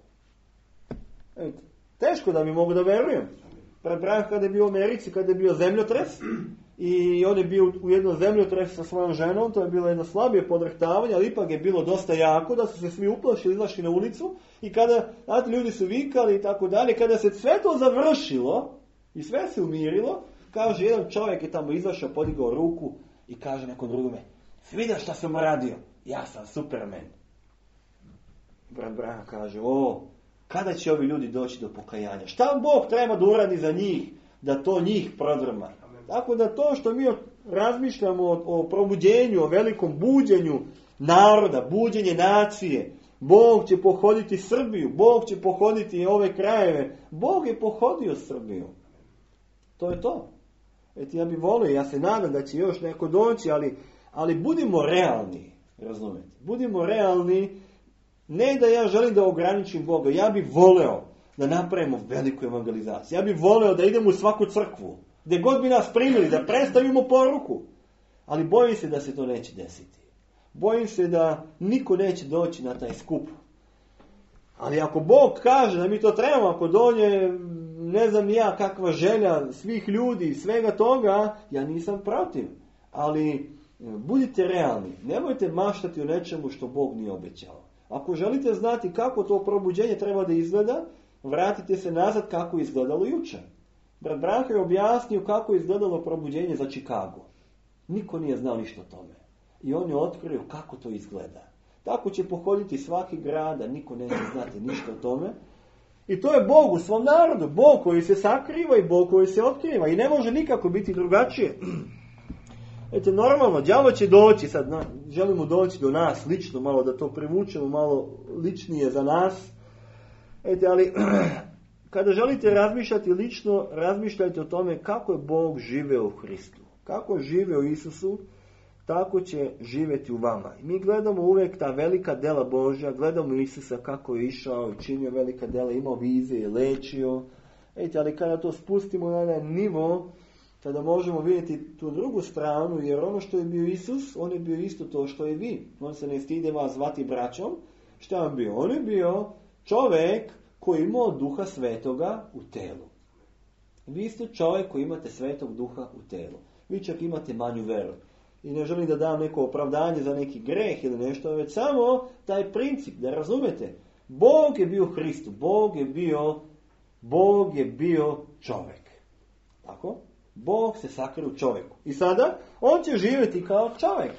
Eto, teško da mi mogu da verujem. Prebrajam kada je bio u Americi, kada je bio zemljotres i on je bio u jednom zemljotresu sa svojom ženom, to je bilo jedno slabije podrhtavanje, ali ipak je bilo dosta jako da su se svi uplašili, izašli na ulicu i kada, znate, ljudi su vikali i tako dalje, kada se sve to završilo i sve se umirilo, kaže, jedan čovjek je tamo izašao, podigao ruku i kaže nekom drugome, vidiš šta sam radio? Ja sam Superman. Brat Branham kaže, o, kada će ovi ljudi doći do pokajanja? Šta Bog treba da uradi za njih, da to njih prodrma? Tako da to što mi razmišljamo o, o probuđenju, o velikom buđenju naroda, buđenje nacije, Bog će pohoditi Srbiju, Bog će pohoditi ove krajeve. Bog je pohodio Srbiju. To je to. Eto, ja bih volio, ja se nadam da će još neko doći, ali, ali budimo realni, razumete? Budimo realni, ne da ja želim da ograničim Boga, ja bih voleo da napravimo veliku evangelizaciju. Ja bih voleo da idemo u svaku crkvu, gdje god bi nas primili, da predstavimo poruku. Ali bojim se da se to neće desiti. Bojim se da niko neće doći na taj skup. Ali ako Bog kaže da mi to trebamo, ako dođe, ne znam ni ja kakva želja svih ljudi, svega toga, ja nisam protiv. Ali budite realni. Nemojte maštati o nečemu što Bog nije obećao. Ako želite znati kako to probuđenje treba da izgleda, vratite se nazad kako je izgledalo jučer. Brat Branham je objasnio kako je izgledalo probuđenje za Čikago. Niko nije znao ništa o tome. I on je otkrio kako to izgleda. Tako će pohoditi svaki grad, a niko neće znati ništa o tome. I to je Bog u svom narodu. Bog koji se sakriva i Bog koji se otkriva. I ne može nikako biti drugačije. Eto, normalno, đavo će doći, sad na, želimo doći do nas lično, malo da to privučemo, malo ličnije za nas. Eto, ali kada želite razmišljati lično, razmišljajte o tome kako je Bog živeo u Hristu. Kako je živeo u Isusu, tako će živjeti u vama. I mi gledamo uvijek ta velika dela Božja, gledamo Isusa kako je išao i činio velika dela, imao vizije, lečio. Eto, ali kada to spustimo na jedan nivo, tada možemo vidjeti tu drugu stranu, jer ono što je bio Isus, on je bio isto to što je vi. On se ne stide vas zvati braćom. Šta je on bio? On je bio čovjek koji imao duha svetoga u telu. Vi ste čovjek koji imate svetog duha u telu. Vi čak imate manju veru. I ne želim da dam neko opravdanje za neki greh ili nešto, već samo taj princip, da razumete. Bog je bio Hristu, Bog je bio, Bog je bio čovjek. Tako? Bog se sakrio u čovjeku. I sada, on će živjeti kao čovjek.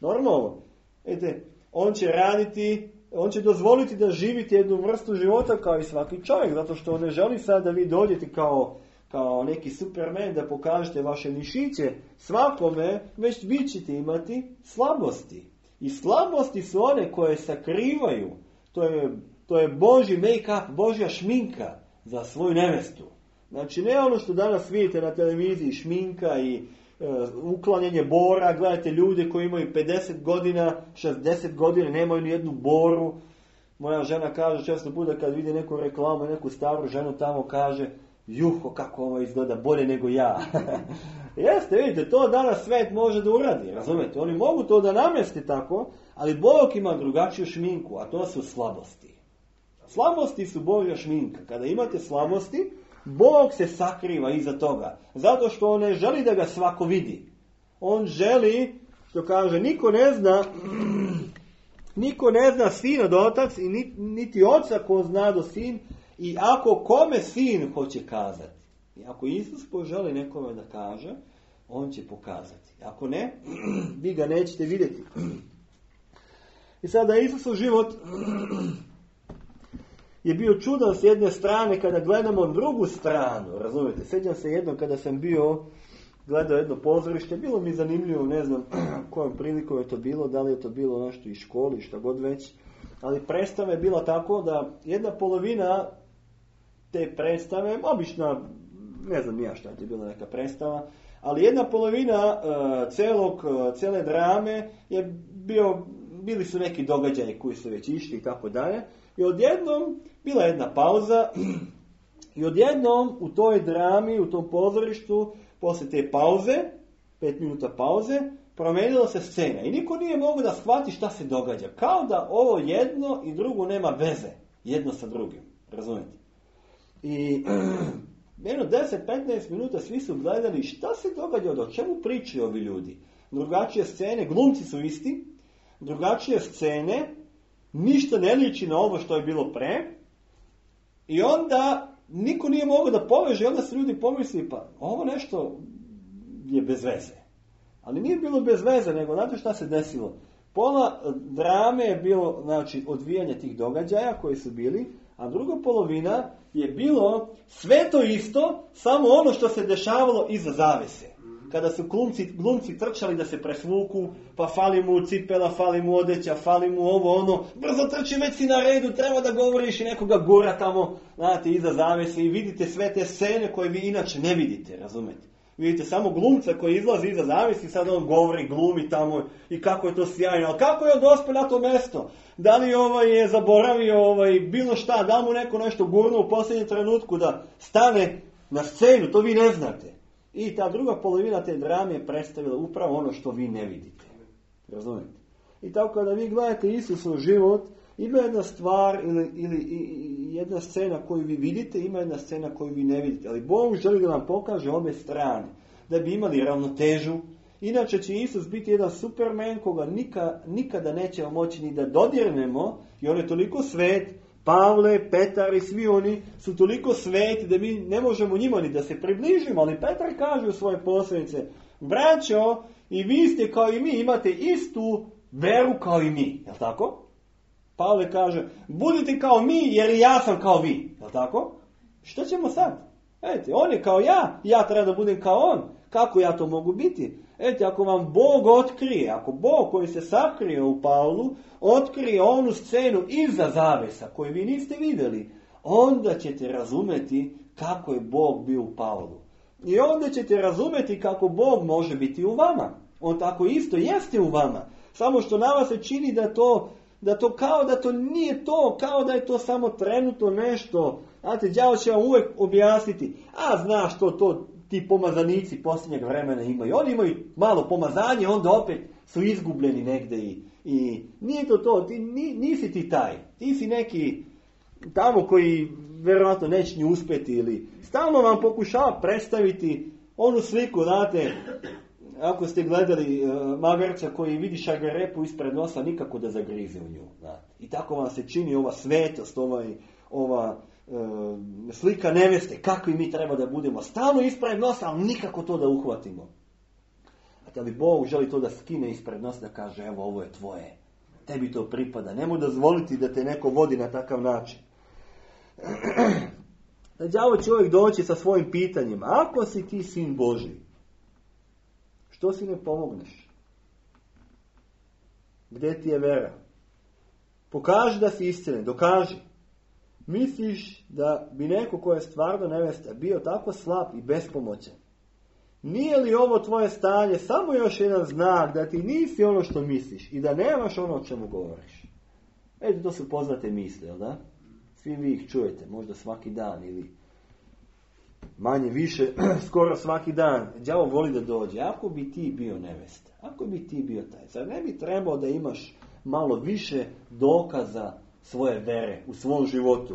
Normalno. Ete, on će raditi, on će dozvoliti da živite jednu vrstu života kao i svaki čovjek, zato što on ne želi sad da vi dođete kao, kao neki superman da pokažete vaše mišiće svakome, već vi ćete imati slabosti. I slabosti su one koje sakrivaju. To je, to je Božji make-up, Božja šminka za svoju nevestu. Znači ne ono što danas vidite na televiziji, šminka i e, uklanjanje bora, gledajte ljude koji imaju pedeset godina, šezdeset godina, nemaju ni jednu boru. Moja žena kaže često puta kad vidi neku reklamu, neku staru ženu tamo kaže, juho kako ovo izgleda bolje nego ja. Jeste, vidite, to danas svet može da uradi, razumete? Oni mogu to da namesti tako, ali Bog ima drugačiju šminku, a to su slabosti. Slabosti su Božja šminka. Kada imate slabosti, Bog se sakriva iza toga. Zato što on ne želi da ga svako vidi. On želi, što kaže, niko ne zna, niko ne zna sin od otac i niti oca ko zna do sin. I ako kome sin hoće kazati, i ako Isus poželi nekome da kaže, on će pokazati. Ako ne, vi ga nećete vidjeti. I sada Isusov život je bio čudan s jedne strane kada gledamo drugu stranu. Razumijete, sjećam se jednom kada sam bio gledao jedno pozorište, bilo mi zanimljivo, ne znam kojom prilikom je to bilo, da li je to bilo nešto iz školi, šta god već, ali predstava je bila tako da jedna polovina te predstave, obična, ne znam ja šta je bila neka predstava, ali jedna polovina uh, celog, uh, cele drame je bio, bili su neki događaji koji su već išli i tako dalje. I odjednom bila jedna pauza i odjednom u toj drami, u tom pozorištu, posle te pauze, pet minuta pauze, promenila se scena. I niko nije mogao da shvati šta se događa. Kao da ovo jedno i drugo nema veze jedno sa drugim. Razumijete? I jedno deset do petnaest minuta svi su gledali šta se događa, o čemu pričaju ovi ljudi. Drugačije scene, glumci su isti, drugačije scene, ništa ne liči na ovo što je bilo pre. I onda niko nije mogao da poveže, onda su ljudi pomislili, pa ovo nešto je bez veze. Ali nije bilo bez veze, nego znate šta se desilo? Pola drame je bilo, znači, odvijanje tih događaja koji su bili, a druga polovina je bilo sve to isto, samo ono što se dešavalo iza zavese. Kada su glumci, glumci trčali da se presvuku, pa fali mu cipela, fali mu odeća, fali mu ovo, ono, brzo trči, već si na redu, treba da govoriš i nekoga gora tamo, znate, iza zavese i vidite sve te scene koje vi inače ne vidite, razumete? Vidite samo glumca koji izlazi iza zavese i sad on govori, glumi tamo i kako je to sjajno, ali kako je on dospio na to mesto? Da li ovaj je zaboravio ovaj, bilo šta, da li mu neko nešto gurno u posljednjem trenutku da stane na scenu, to vi ne znate. I ta druga polovina te drame je predstavila upravo ono što vi ne vidite. Razumijete? I tako kada vi gledate Isusov život, ima jedna stvar ili, ili i, jedna scena koju vi vidite, ima jedna scena koju vi ne vidite. Ali Bog želi da nam pokaže obe strane, da bi imali ravnotežu. Inače će Isus biti jedan superman koga nika, nikada nećemo moći ni da dodirnemo, i on je toliko svet. Pavle, Petar i svi oni su toliko sveti da mi ne možemo njima ni da se približimo, ali Petar kaže u svoje poslanice, braćo, i vi ste kao i mi, imate istu veru kao i mi, jel' tako? Pavle kaže, budite kao mi jer i ja sam kao vi, jel' tako? Što ćemo sad? Eto, on je kao ja, ja treba da budem kao on. Kako ja to mogu biti? Eto, ako vam Bog otkrije, ako Bog koji se sakrio u Pavlu, otkrije onu scenu iza zavesa koju vi niste vidjeli, onda ćete razumeti kako je Bog bio u Pavlu. I onda ćete razumeti kako Bog može biti u vama. On tako isto jeste u vama. Samo što na vas se čini da to, da to kao da to nije to, kao da je to samo trenutno nešto. Znate, đavo će vam uvijek objasniti, a znaš to, to ti pomazanici posljednjeg vremena imaju. Oni imaju malo pomazanje, onda opet su izgubljeni negdje i, i nije to to, ti, nisi ti taj. Ti si neki tamo koji vjerojatno neće ni uspjeti ili stalno vam pokušava predstaviti onu sliku, znate, ako ste gledali uh, magarca koji vidi šargarepu ispred nosa, nikako da zagrize u nju. Znate. I tako vam se čini ova svetost, ovaj, ova uh, slika neveste, kakvi mi treba da budemo. Stalno ispred nosa, ali nikako to da uhvatimo. A ali Bog želi to da skine ispred nosa, da kaže, evo, ovo je tvoje. Tebi to pripada. Nemoj dozvoliti da te neko vodi na takav način. da đavo će uvijek doći sa svojim pitanjima. Ako si ti sin Božji, što si ne pomogneš? Gdje ti je vera? Pokaži da si iskren, dokaži. Misliš da bi neko ko je stvarno nevesta bio tako slab i bespomoćan? Nije li ovo tvoje stanje samo još jedan znak da ti nisi ono što misliš i da nemaš ono o čemu govoriš? Eto, to su poznate misle, jel da? Svi vi ih čujete, možda svaki dan ili manje više, skoro svaki dan. Đavo voli da dođe. Ako bi ti bio nevesta, ako bi ti bio taj, zar ne bi trebao da imaš malo više dokaza svoje vere u svom životu?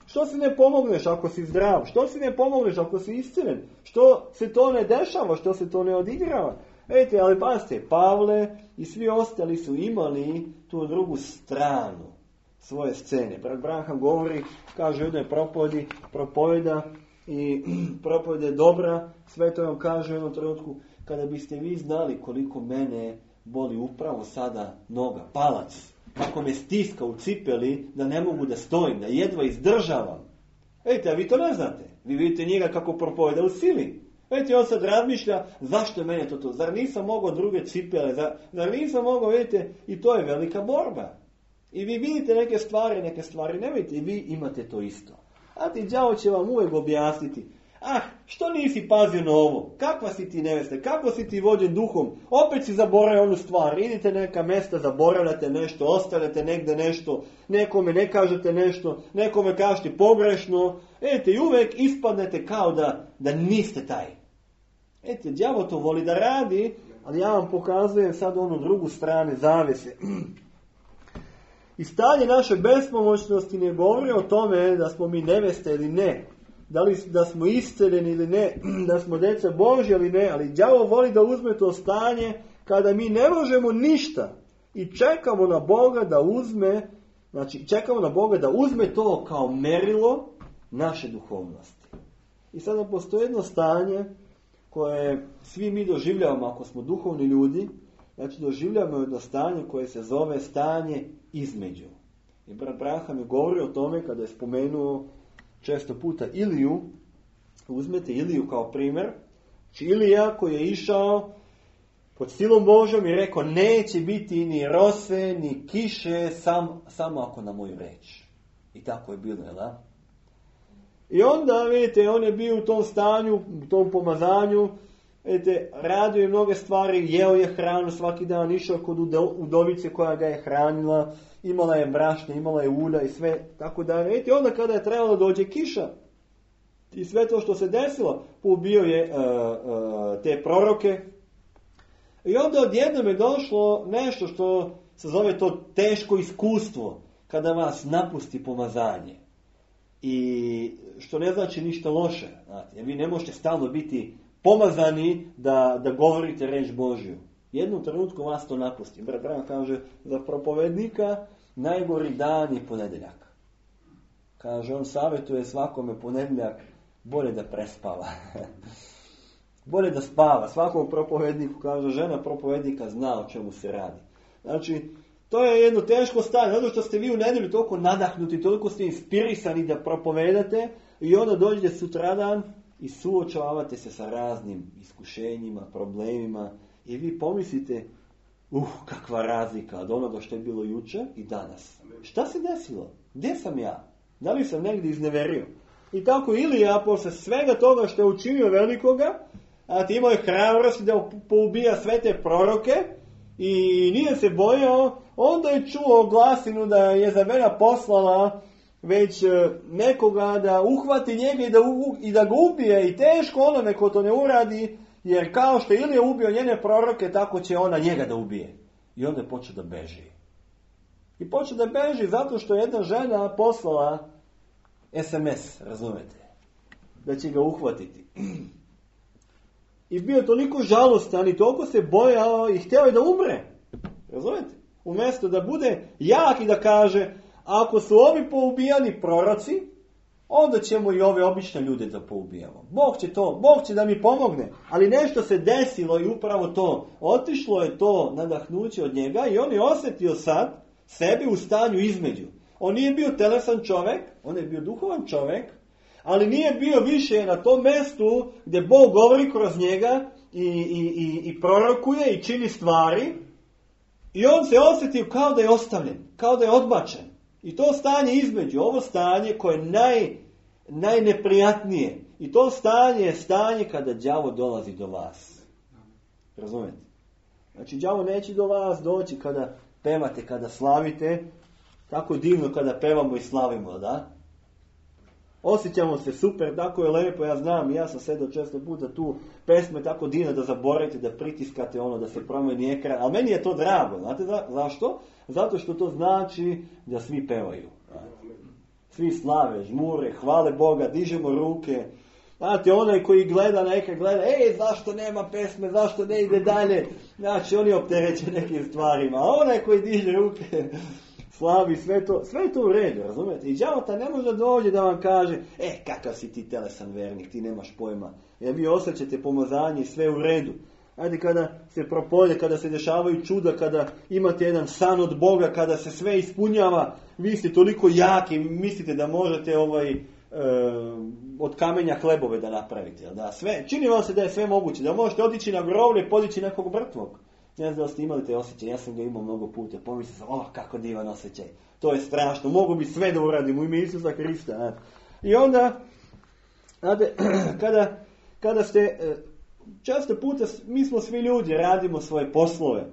Što si ne pomogneš ako si zdrav? Što si ne pomogneš ako si iscrven? Što se to ne dešava? Što se to ne odigrava? Vidite, ali pazite, Pavle i svi ostali su imali tu drugu stranu svoje scene. Brat Branham govori, kaže u jednoj propovedi, propoveda i propoveda je dobra, sve to vam kaže u jednom trenutku, kada biste vi znali koliko mene boli upravo sada noga, palac, kako me stiska u cipeli, da ne mogu da stojim, da jedva izdržavam. Vidite, a vi to ne znate. Vi vidite njega kako propoveda u sili. Vidite, on sad razmišlja, zašto je mene to to? Zar nisam mogao druge cipele? Zar, zar nisam mogao, vidite, i to je velika borba. I vi vidite neke stvari, neke stvari ne vidite, i vi imate to isto. A ti đavo će vam uvijek objasniti, ah, što nisi pazio na ovo? Kakva si ti nevesta? Kako si ti vođen duhom? Opet si zaboravio onu stvar. Idite neka mesta, zaboravljate nešto, ostavljate negde nešto, nekome ne kažete nešto, nekome kažete pogrešno. Vidite, i uvijek ispadnete kao da, da niste taj. Vidite, đavo to voli da radi, ali ja vam pokazujem sad onu drugu stranu zavese. I stanje naše bespomoćnosti ne govori o tome da smo mi neveste ili ne. Da li da smo isceljeni ili ne, da smo djeca Božja ili ne, ali đavo voli da uzme to stanje kada mi ne možemo ništa i čekamo na Boga da uzme, znači čekamo na Boga da uzme to kao merilo naše duhovnosti. I sada postoji jedno stanje koje svi mi doživljavamo ako smo duhovni ljudi, znači doživljavamo jedno stanje koje se zove stanje između. I brat Branham je govorio o tome kada je spomenuo često puta Iliju. Uzmete Iliju kao primjer. Znači Ilija koji je išao pod silom Božom i rekao neće biti ni rose, ni kiše, sam, samo ako na moju reč. I tako je bilo, jel da? I onda, vidite, on je bio u tom stanju, u tom pomazanju, vidite, radio je mnoge stvari, jeo je hranu svaki dan, išao kod udovice koja ga je hranila, imala je brašne, imala je ulja i sve, tako da, vidite, onda kada je trebalo da dođe kiša, i sve to što se desilo, poubio je uh, uh, te proroke, i onda odjednom je došlo nešto što se zove to teško iskustvo, kada vas napusti pomazanje. I što ne znači ništa loše, znate, jer vi ne možete stalno biti pomazani da, da govorite reč Božju. Jednom trenutku vas to napusti. Brat Branham kaže, za propovednika najgori dan je ponedjeljak. Kaže, on savjetuje svakome ponedjeljak bolje da prespava. Bolje da spava. Svakom propovedniku, kaže, žena propovednika zna o čemu se radi. Znači, to je jedno teško stanje. Zato što ste vi u nedjelju toliko nadahnuti, toliko ste inspirisani da propovedate i onda dođete sutradan i suočavate se sa raznim iskušenjima, problemima i vi pomislite, uh, kakva razlika od onoga što je bilo juče i danas. Šta se desilo? Gdje sam ja? Da li sam negdje izneverio? I tako Ilija, posle svega toga što je učinio velikoga, a ti imao je hrabrosti da poubija sve te proroke i nije se bojao, onda je čuo glasinu da je Jezabela poslala već nekoga da uhvati njega i da, u, i da ga ubije i teško onome ko to ne uradi, jer kao što je Ilija ubio njene proroke, tako će ona njega da ubije. I onda je počeo da beži. I počeo da beži zato što je jedna žena poslala es em es, razumete, da će ga uhvatiti. I bio toliko žalostan i toliko se bojao i htio je da umre. Razumete? Umjesto da bude jak i da kaže, ako su ovi poubijani proroci, onda ćemo i ove obične ljude da poubijamo. Bog će to, Bog će da mi pomogne. Ali nešto se desilo i upravo to. Otišlo je to nadahnuće od njega i on je osjetio sad sebi u stanju između. On nije bio telesan čovjek, on je bio duhovan čovjek, ali nije bio više na tom mjestu gdje Bog govori kroz njega i, i, i, i prorokuje i čini stvari. I on se osjetio kao da je ostavljen, kao da je odbačen. I to stanje između, ovo stanje koje je naj, najneprijatnije. I to stanje je stanje kada đavo dolazi do vas. Razumijete? Znači, đavo neće do vas doći kada pevate, kada slavite. Tako divno kada pevamo i slavimo, da? Osjećamo se super, tako je lepo, ja znam, ja sam sedao često puta tu, pesme tako divno da zaboravite, da pritiskate ono, da se promeni ekran, ali meni je to drago, znate za, zašto? Zato što to znači da svi pevaju. Svi slave, žmure, hvale Boga, dižemo ruke. Znate, onaj koji gleda na ekran, gleda, ej, zašto nema pesme, zašto ne ide dalje? Znači, oni optereće nekim stvarima, a onaj koji diže ruke, slavi, sve to, sve je to u redu, razumijete? I đavo ne može doći da vam kaže, e, kakav si ti telesan vernik, ti nemaš pojma. Jer vi osjećate pomazanje i sve u redu. Ajde, kada se propolje, kada se dešavaju čuda, kada imate jedan san od Boga, kada se sve ispunjava, vi ste toliko jaki, mislite da možete ovaj, e, od kamenja hlebove da napravite. Da? Sve, čini vam se da je sve moguće, da možete otići na groblje i podići nekog mrtvog. Ne znam da ste imali te osjećaj, ja sam ga imao mnogo puta, pomislio sam, oh, kako divan osjećaj, to je strašno, mogu bi sve da uradim u ime Isusa Hrista. Ne? I onda, znate, kada, kada ste, često puta, mi smo svi ljudi, radimo svoje poslove,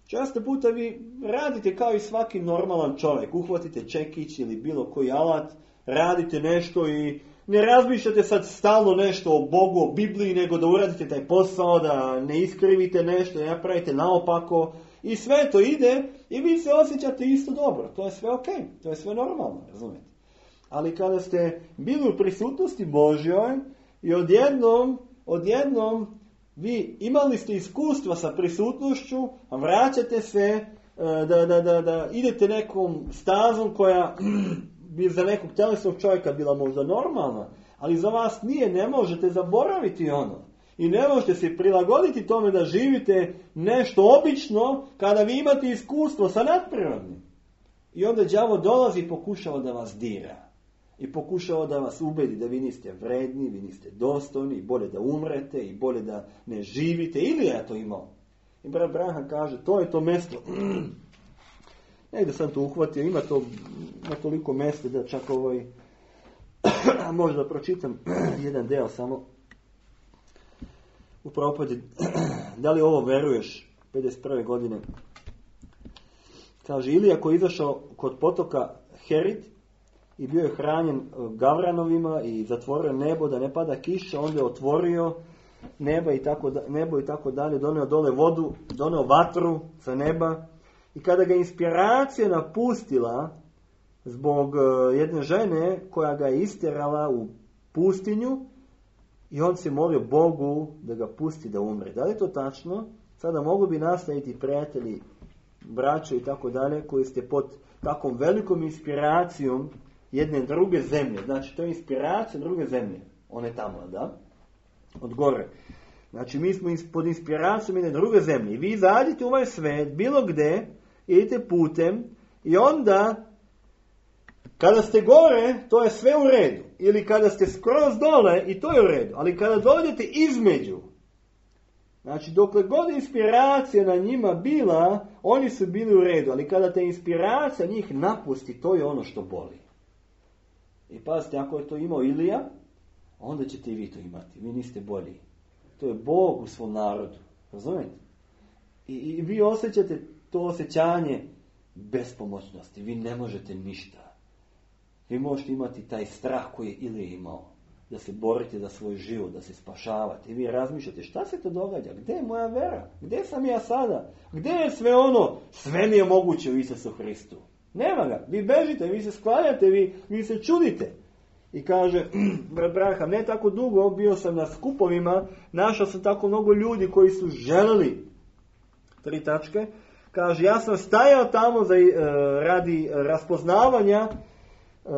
često puta vi radite kao i svaki normalan čovjek, uhvatite čekić ili bilo koji alat, radite nešto i ne razmišljate sad stalno nešto o Bogu, o Bibliji, nego da uradite taj posao, da ne iskrivite nešto, da ne napravite naopako. I sve to ide i vi se osjećate isto dobro. To je sve ok, to je sve normalno, razumijete. Ali kada ste bili u prisutnosti Božjoj i odjednom, odjednom vi imali ste iskustva sa prisutnošću, a vraćate se da, da, da, da idete nekom stazom koja bi za nekog telesnog čovjeka bila možda normalna, ali za vas nije, ne možete zaboraviti ono. I ne možete se prilagoditi tome da živite nešto obično kada vi imate iskustvo sa nadprirodnim. I onda đavo dolazi i pokušava da vas dira. I pokušava da vas ubedi da vi niste vredni, vi niste dostojni, i bolje da umrete, i bolje da ne živite. Ili je to imao. I brat Branham kaže, to je to mjesto. Negdje sam to uhvatio, ima to na toliko mjesta da čak ovaj, možda pročitam jedan deo samo. U propadi, da li ovo veruješ, pedeset prve godine. Kaže, Ilija koji je izašao kod potoka Herid i bio je hranjen gavranovima i zatvorio nebo da ne pada kiša, onda je otvorio neba i tako, nebo i tako dalje, doneo dole vodu, doneo vatru sa neba. I kada ga inspiracija napustila zbog jedne žene koja ga je istjerala u pustinju i on se molio Bogu da ga pusti da umre. Da li je to tačno? Sada mogu bi nastaviti prijatelji, braće i tako dalje koji ste pod takvom velikom inspiracijom jedne druge zemlje. Znači to je inspiracija druge zemlje. One tamo, da? Od gore. Znači mi smo pod inspiracijom jedne druge zemlje. I vi izađete u ovaj svet, bilo gdje, idete putem i onda kada ste gore, to je sve u redu. Ili kada ste skroz dole, i to je u redu. Ali kada dođete između, znači dokle god inspiracija na njima bila, oni su bili u redu. Ali kada te inspiracija njih napusti, to je ono što boli. I pazite, ako je to imao Ilija, onda ćete i vi to imati. Vi niste bolji. To je Bog u svom narodu. Razumijete? I, i vi osjećate to osjećanje bespomoćnosti. Vi ne možete ništa. Vi možete imati taj strah koji je Ilija imao. Da se borite za svoj život, da se spašavate. I vi razmišljate, šta se to događa? Gdje je moja vera? Gdje sam ja sada? Gdje je sve ono? Sve mi je moguće u Isusu Hristu. Nema ga. Vi bežite, vi se sklanjate, vi, vi se čudite. I kaže, brat Branham, ne tako dugo, bio sam na skupovima, našao sam tako mnogo ljudi koji su želeli, tri tačke, kaže, ja sam stajao tamo za, uh, radi raspoznavanja uh,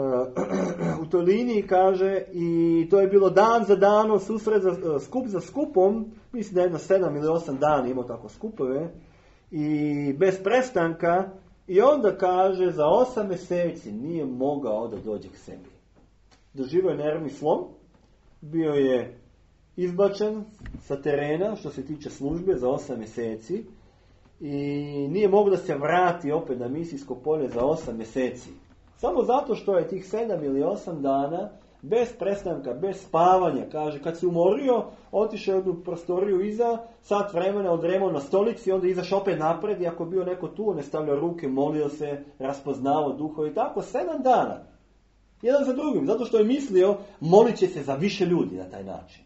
u toj liniji, kaže, i to je bilo dan za danom, susret za, uh, skup za skupom, mislim da je jedno sedam ili osam dana imao tako skupove, i bez prestanka, i onda kaže, za osam mjeseci nije mogao da dođe k sebi. doživio je nervni slom, bio je izbačen sa terena što se tiče službe za osam mjeseci i nije mogao da se vrati opet na misijsko polje za osam mjeseci. Samo zato što je tih sedam ili osam dana bez prestanka, bez spavanja, kaže, kad se umorio, otišao je u jednu prostoriju iza, sat vremena odremao na stolici, onda izašao opet napred i ako je bio neko tu, on je stavljao ruke, molio se, raspoznavao duhove i tako, sedam dana. Jedan za drugim, zato što je mislio, molit će se za više ljudi na taj način.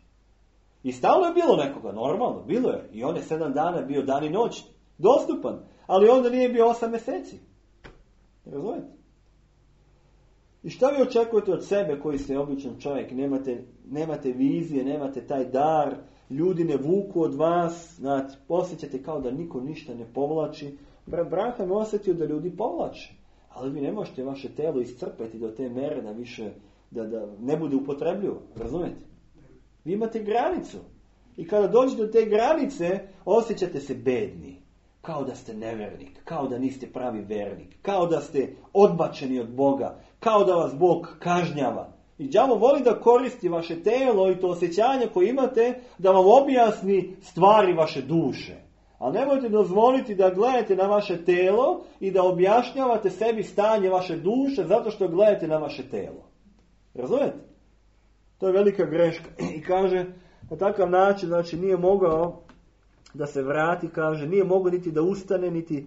I stalno je bilo nekoga, normalno, bilo je. I on je sedam dana bio dan i noć dostupan, ali onda nije bio osam mjeseci. Razumijete? I šta vi očekujete od sebe koji ste običan čovjek, nemate, nemate vizije, nemate taj dar, ljudi ne vuku od vas, znate, osjećate kao da niko ništa ne povlači. Brat Branham je osjetio da ljudi povlače, ali vi ne možete vaše telo iscrpeti do te mere da više, da, da ne bude upotrebljivo, razumijete? Vi imate granicu i kada dođete do te granice osjećate se bedni. Kao da ste nevernik, kao da niste pravi vernik, kao da ste odbačeni od Boga, kao da vas Bog kažnjava. I đavo voli da koristi vaše telo i to osjećanje koje imate da vam objasni stvari vaše duše. Ali nemojte dozvoliti da gledate na vaše telo i da objašnjavate sebi stanje vaše duše zato što gledate na vaše telo. Razumijete? To je velika greška. I kaže, na takav način, znači nije mogao da se vrati, kaže, nije mogao niti da ustane, niti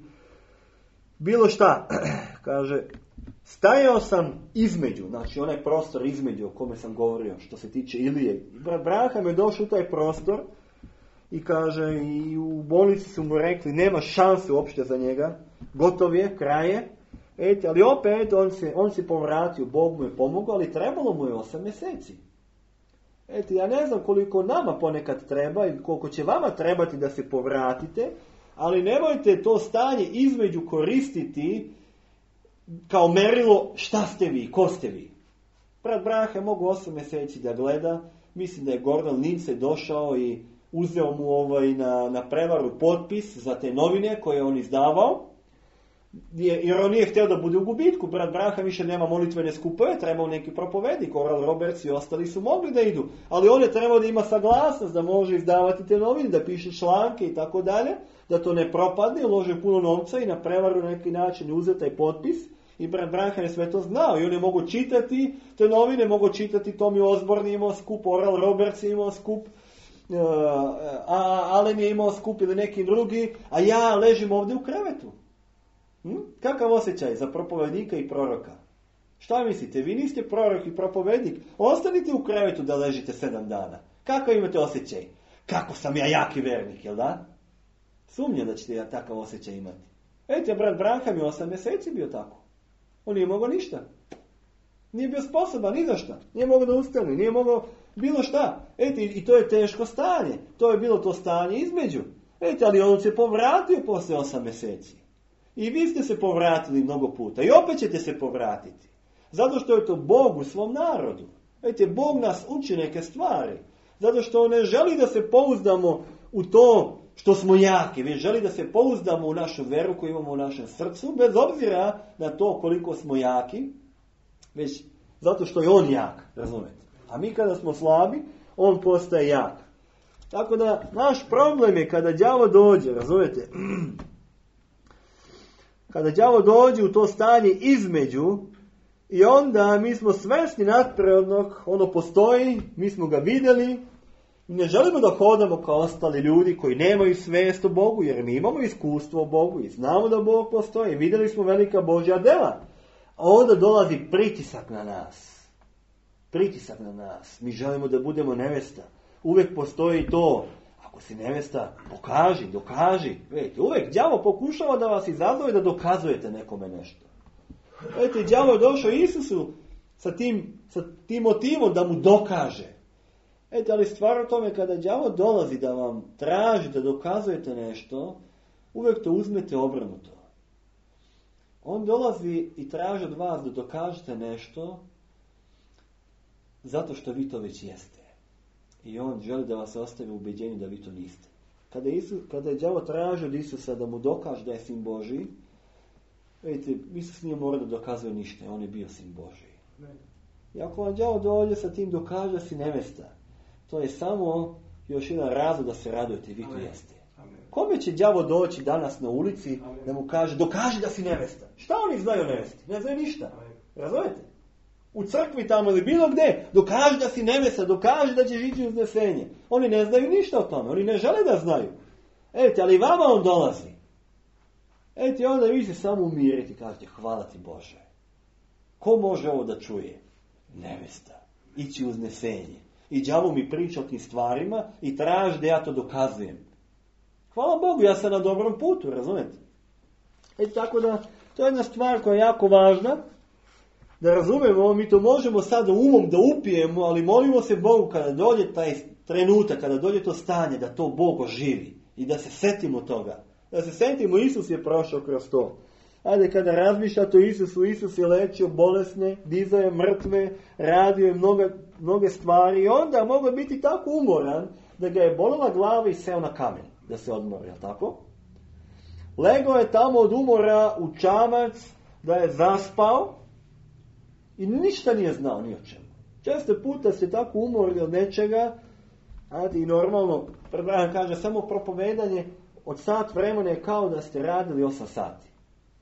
bilo šta. Kaže, stajao sam između, znači onaj prostor između o kome sam govorio, što se tiče Ilije. Brat Branham je došao u taj prostor i kaže, i u bolnici su mu rekli, nema šanse uopšte za njega, gotov je, kraj je. Eti, ali opet on se, on se povratio, Bog mu je pomogao, ali trebalo mu je osam mjeseci. Eto, ja ne znam koliko nama ponekad treba i koliko će vama trebati da se povratite, ali nemojte to stanje između koristiti kao merilo šta ste vi, ko ste vi. Brat Branham mogu osam mjeseci da gleda, mislim da je Gordon Lindsay došao i uzeo mu ovaj na, na prevaru potpis za te novine koje je on izdavao, jer on nije htio da bude u gubitku. Brat Branham više nema molitvene skupove, trebao neki propovednik, Oral Roberts i ostali su mogli da idu, ali on je trebao da ima saglasnost da može izdavati te novine, da piše članke i tako dalje, da to ne propadne, ulože puno novca i na prevaru na neki način uzeo taj potpis. I Brat Branham je sve to znao i on je mogo čitati te novine, mogo čitati Tommy Osborne imao skup, Oral Roberts je imao skup, uh, a Allen je imao skup ili neki drugi, a ja ležim ovdje u krevetu. Hm? Kakav osjećaj za propovednika i proroka? Šta mislite? Vi niste prorok i propovednik. Ostanite u krevetu da ležite sedam dana. Kakav imate osjećaj? Kako sam ja jaki vernik, jel da? Sumnjam da ćete ja takav osjećaj imati. Eto, brat Branham je osam mjeseci bio tako. On nije mogao ništa. Nije bio sposoban ni za šta. Nije mogao da ustane, nije mogao bilo šta. Eto, i to je teško stanje. To je bilo to stanje između. Eto, ali on se povratio posle osam mjeseci. I vi ste se povratili mnogo puta. I opet ćete se povratiti. Zato što je to Bog u svom narodu. Vidite, Bog nas uči neke stvari. Zato što on ne želi da se pouzdamo u to što smo jaki. Već želi da se pouzdamo u našu veru koju imamo u našem srcu. Bez obzira na to koliko smo jaki. Već zato što je on jak. Razumete? A mi kada smo slabi, on postaje jak. Tako da naš problem je kada đavo dođe. Razumete? Kada đavo dođe u to stanje između, i onda mi smo svesni nadprirodnog, ono postoji, mi smo ga vidjeli, ne želimo da hodamo kao ostali ljudi koji nemaju svijest o Bogu, jer mi imamo iskustvo o Bogu i znamo da Bog postoji, vidjeli smo velika Božja dela. A onda dolazi pritisak na nas. Pritisak na nas. Mi želimo da budemo nevesta. Uvijek postoji to. Ako si nevesta, pokaži, dokaži. Vidite, uvijek đavo pokušava da vas izazove da dokazujete nekome nešto. Vidite, đavo je došao Isusu sa tim, sa tim motivom da mu dokaže. Vidite, ali stvar o tome kada đavo dolazi da vam traži da dokazujete nešto, uvijek to uzmete obrnuto. On dolazi i traži od vas da dokažete nešto zato što vi to već jeste. I on želi da vas ostavi u ubeđenju da vi to niste. Kada, Isus, kada je đavo tražio od Isusa da mu dokaže da je sin Božiji, vidite, Isus nije morao da dokazuje ništa, on je bio sin Božiji. I ako vam đavo dođe sa tim dokaže da si nevesta, to je samo još jedan razlog da se radujete, vi to jeste. Kome će đavo doći danas na ulici da mu kaže dokaži da si nevesta? Šta oni znaju o nevesti? Ne znaju ništa. Razumete? U crkvi tamo ili bilo gdje, dokaži da si nevesta, dokaži da ćeš ići uznesenje. Oni ne znaju ništa o tome, oni ne žele da znaju. Eti, ali vama on dolazi. Eti, onda vi se samo umirite i kažete hvala ti Bože. Ko može ovo da čuje? Nevesta. Ići uznesenje. I đavo mi priča o tim stvarima i traži da ja to dokazujem. Hvala Bogu, ja sam na dobrom putu, razumete? E tako da, to je jedna stvar koja je jako važna, da razumemo, mi to možemo sada umom da upijemo, ali molimo se Bogu kada dođe taj trenutak, kada dođe to stanje, da to Bog oživi i da se setimo toga. Da se setimo, Isus je prošao kroz to. Ajde, kada razmišljate o Isusu, Isus je lečio bolesne, dizao je mrtve, radio je mnoga, mnoge stvari i onda mogao biti tako umoran da ga je bolela glava i seo na kamen da se odmori, jel tako? Legao je tamo od umora u čamac, da je zaspao i ništa nije znao ni o čemu. Često puta ste tako umorili od nečega, ajde, i normalno, Predrahan kaže, samo propovedanje od sat vremena je kao da ste radili osam sati.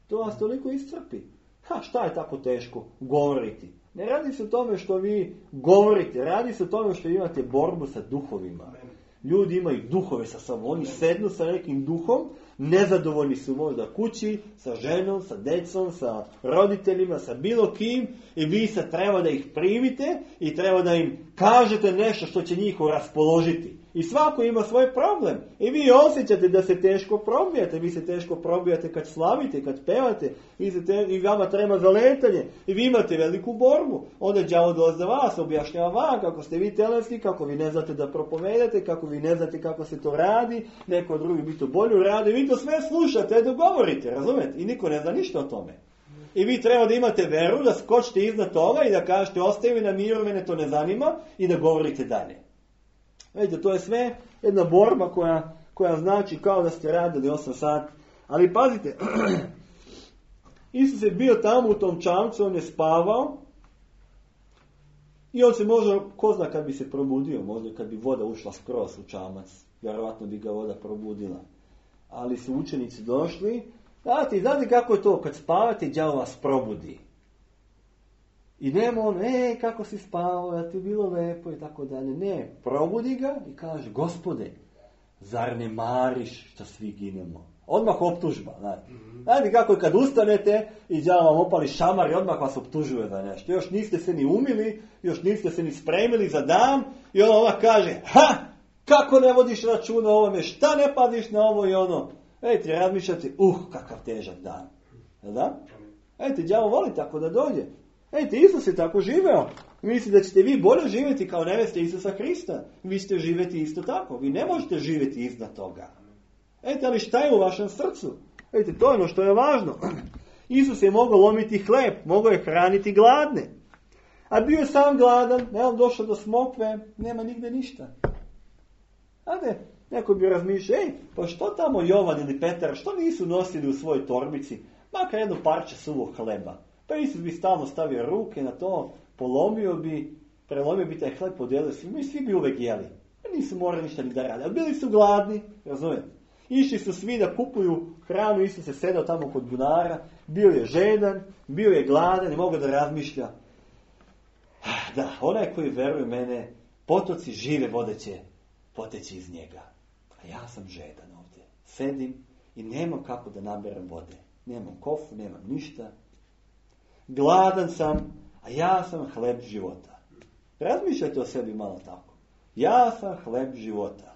To vas toliko iscrpi. Ha, šta je tako teško govoriti? Ne radi se o tome što vi govorite, radi se o tome što imate borbu sa duhovima. Ljudi imaju duhove sa sobom, oni sednu sa nekim duhom, nezadovoljni su možda kući, sa ženom, sa decom, sa roditeljima, sa bilo kim i vi sad treba da ih primite i treba da im kažete nešto što će njih raspoložiti. I svako ima svoj problem. I vi osjećate da se teško probijate. Vi se teško probijate kad slavite, kad pevate. Vi se te, i vama treba zaletanje. I vi imate veliku borbu. Onda đavo dolazi za vas, objašnjava vam kako ste vi telenski, kako vi ne znate da propovedate, kako vi ne znate kako se to radi. Neko drugi bi to bolje radi. Vi to sve slušate, dogovorite, razumete? I niko ne zna ništa o tome. I vi treba da imate veru, da skočite iznad toga i da kažete ostavi na miru, mene to ne zanima i da govorite dalje. Vidite, to je sve jedna borba koja, koja znači kao da ste radili osam sati. Ali pazite, Isus je bio tamo u tom čamcu, on je spavao i on se možda, ko zna kad bi se probudio, možda kad bi voda ušla skroz u čamac, vjerovatno bi ga voda probudila. Ali su učenici došli, znate, znate kako je to, kad spavate, đavo vas probudi. I nema on, e, kako si spavao, da ti je bilo lepo i tako dalje. Ne, probudi ga i kaže, Gospode, zar ne mariš što svi ginemo? Odmah optužba, znate. Znate kako je kad ustanete i đavo vam opali šamar i odmah vas optužuje za nešto. Još niste se ni umili, još niste se ni spremili za dan i on odmah kaže, ha, kako ne vodiš računa o ovome, šta ne paziš na ovo i ono. Ejte, razmišljate, uh, kakav težak dan. Da? Ejte, đavo voli tako da dođe. Ejte, Isus je tako živeo. Mislite da ćete vi bolje živjeti kao neveste Isusa Hrista. Vi ćete živjeti isto tako. Vi ne možete živjeti iznad toga. Ejte, ali šta je u vašem srcu? Ejte, to je ono što je važno. Isus je mogao lomiti hleb, mogao je hraniti gladne. A bio je sam gladan, ne on došao do smokve, nema nigde ništa. Ade, neko bi razmišljao, ej, pa što tamo Jovan ili Petar, što nisu nosili u svojoj torbici? Makar jedno parče suvog hleba. Pa Isus bi stalno stavio ruke na to, polomio bi, prelomio bi taj hleb, podijelio svi, mi svi bi uvek jeli. Nisu morali ništa ni da rade, ali bili su gladni, razumijete? Išli su svi da kupuju hranu, Isus se sedao tamo kod bunara, bio je žedan, bio je gladan i mogao da razmišlja. Da, onaj koji veruje mene, potoci žive vode će poteći iz njega. A ja sam žedan ovdje. Sedim i nemam kako da naberem vode. Nemam kofu, nemam ništa. Gladan sam, a ja sam hleb života. Razmišljajte o sebi malo tako. Ja sam hleb života.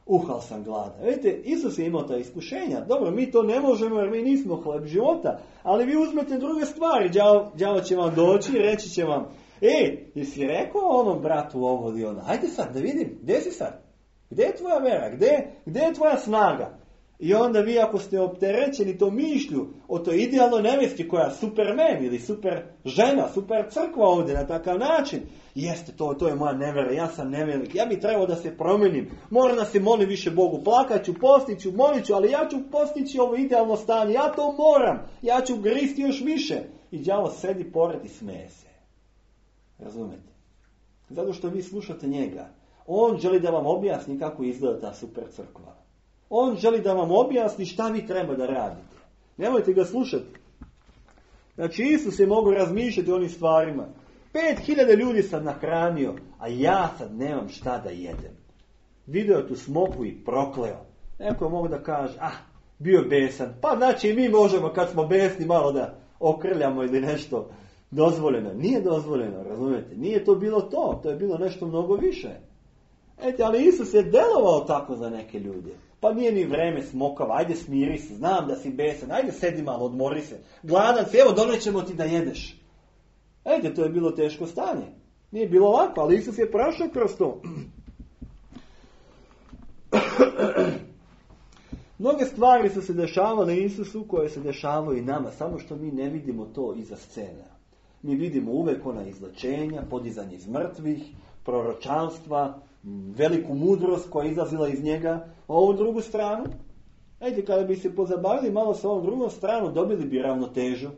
Uhal sam gladan. Vidite, Isus je imao ta iskušenja. Dobro, mi to ne možemo jer mi nismo hleb života. Ali vi uzmete druge stvari. Đavo, đavo će vam doći i reći će vam, e, jesi rekao onom bratu ovo ili ono? Hajde sad da vidim, gdje si sad? Gdje je tvoja vera? Gdje, gdje je tvoja snaga? I onda vi ako ste opterećeni to mišlju o toj idealnoj nevesti koja je supermen ili super žena, super crkva ovdje na takav način, jeste to, to je moja nevera, ja sam nevelik, ja bi trebao da se promenim, moram da se molim više Bogu, plakaću, postiću, moliću, ali ja ću postići ovo idealno stanje, ja to moram, ja ću gristi još više. I đavo sedi pored i smeje se. Razumete? Zato što vi slušate njega. On želi da vam objasni kako izgleda ta super crkva. On želi da vam objasni šta vi treba da radite. Nemojte ga slušati. Znači, Isus je mogao razmišljati o onim stvarima. Pet hiljada ljudi sam nahranio, a ja sad nemam šta da jedem. Vidio je tu smoku i prokleo. Neko je mogo da kaže, ah, bio besan. Pa znači i mi možemo kad smo besni malo da okrljamo ili nešto dozvoljeno. Nije dozvoljeno, razumijete? Nije to bilo to, to je bilo nešto mnogo više. Ete, ali Isus je delovao tako za neke ljude. Pa nije ni vreme smokava, ajde smiri se, znam da si besan, ajde sedi malo, odmori se. Gladan si, evo donećemo ti da jedeš. Ete, to je bilo teško stanje. Nije bilo ovako, ali Isus je prošao kroz to. Mnoge stvari su se dešavale Isusu koje se dešavaju i nama, samo što mi ne vidimo to iza scena. Mi vidimo uvek ona izlečenja, podizanje iz mrtvih, proročanstva, veliku mudrost koja je izlazila iz njega. A ovu drugu stranu, ajde, kada bi se pozabavili malo sa ovom drugom stranu, dobili bi ravnotežu.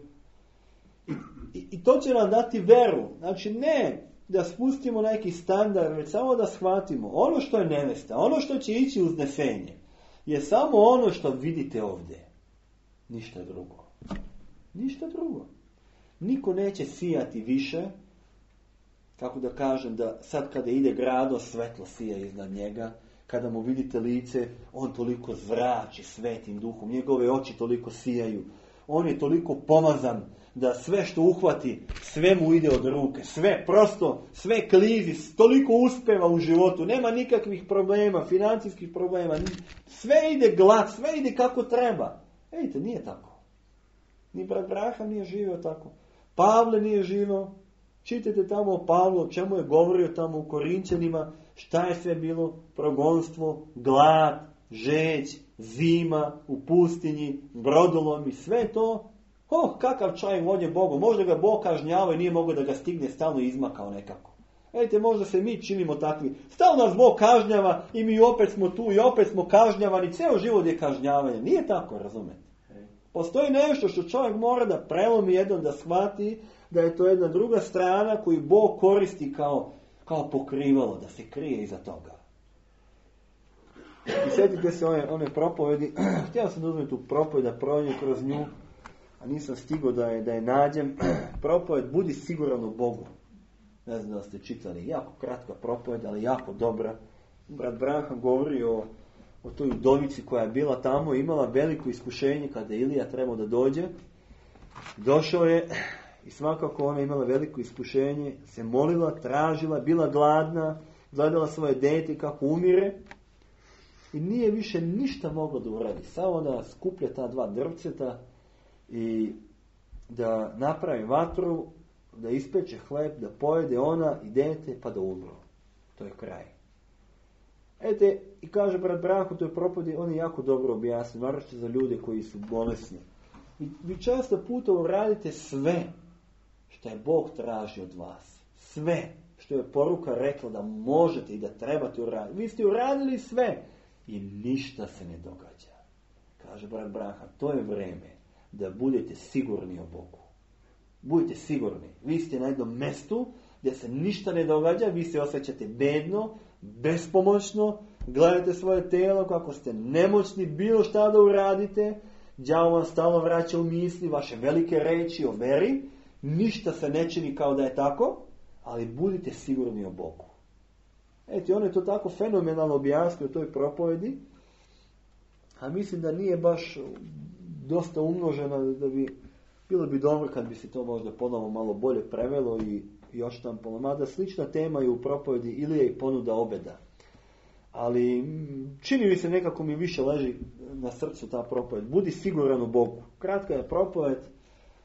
I, i, i to će nam dati veru. Znači ne da spustimo neki standard, već samo da shvatimo ono što je nevesta, ono što će ići uznesenje, je samo ono što vidite ovdje. Ništa drugo. Ništa drugo. Niko neće sijati više, kako da kažem, da sad kada ide grado, svetlo sija iznad njega, kada mu vidite lice, on toliko zrači svetim duhom, njegove oči toliko sijaju, on je toliko pomazan da sve što uhvati, sve mu ide od ruke, sve prosto, sve klizi, toliko uspeva u životu, nema nikakvih problema, financijskih problema, sve ide glad, sve ide kako treba. Ejte, nije tako. Ni brat Braham nije živio tako. Pavle nije živio. Čitajte tamo o Pavlu, o čemu je govorio tamo u Korinćanima, šta je sve bilo, progonstvo, glad, žeđ, zima, u pustinji, brodolomi, sve to. Oh, kakav čovjek volje Bogu, možda ga Bog kažnjava i nije mogao da ga stigne, stalno izmakao nekako. Vidite, možda se mi činimo takvi. Stalno nas Bog kažnjava i mi opet smo tu i opet smo kažnjavani, ceo život je kažnjavanje. Nije tako, razumete? Postoji nešto što čovjek mora da prelomi jednom, da shvati da je to jedna druga strana koju Bog koristi kao, kao pokrivalo, da se krije iza toga. I sjetite se one, one propovedi, htio sam da uzmem tu propoved, da prođem kroz nju, a nisam stigao da je, da je nađem. Propoved, budi siguran u Bogu. Ne znam da ste čitali, jako kratka propoved, ali jako dobra. Brat Braham govori o, o toj udovici koja je bila tamo, imala veliko iskušenje kada je Ilija trebao da dođe. Došao je i svakako ona imala veliko iskušenje, se molila, tražila, bila gladna, gledala svoje dete kako umire i nije više ništa mogla da uradi. Samo da skuplja ta dva drvceta i da napravi vatru, da ispeče hleb, da pojede ona i dete pa da umru. To je kraj. Ete, i kaže brat Branko, to je propovedi, on je jako dobro objasnio, naročito za ljude koji su bolesni. I vi često puta uradite sve što je Bog traži od vas. Sve što je poruka rekla da možete i da trebate uraditi. Vi ste uradili sve i ništa se ne događa. Kaže brat Branko, to je vreme da budete sigurni o Bogu. Budite sigurni. Vi ste na jednom mestu gdje se ništa ne događa, vi se osjećate bedno, bespomoćno, gledate svoje telo kako ste nemoćni bilo šta da uradite, đavo vam stalno vraća u misli vaše velike reči o veri, ništa se ne čini kao da je tako, ali budite sigurni o Bogu. Eto, on je to tako fenomenalno objasnio u toj propovedi, a mislim da nije baš dosta umnožena, da bi bilo bi dobro kad bi se to možda ponovo malo bolje prevelo i, i odštampalo. Mada slična tema je u propovedi Ilija i ponuda obeda. Ali čini mi se nekako mi više leži na srcu ta propoved. Budi siguran u Bogu. Kratka je propoved.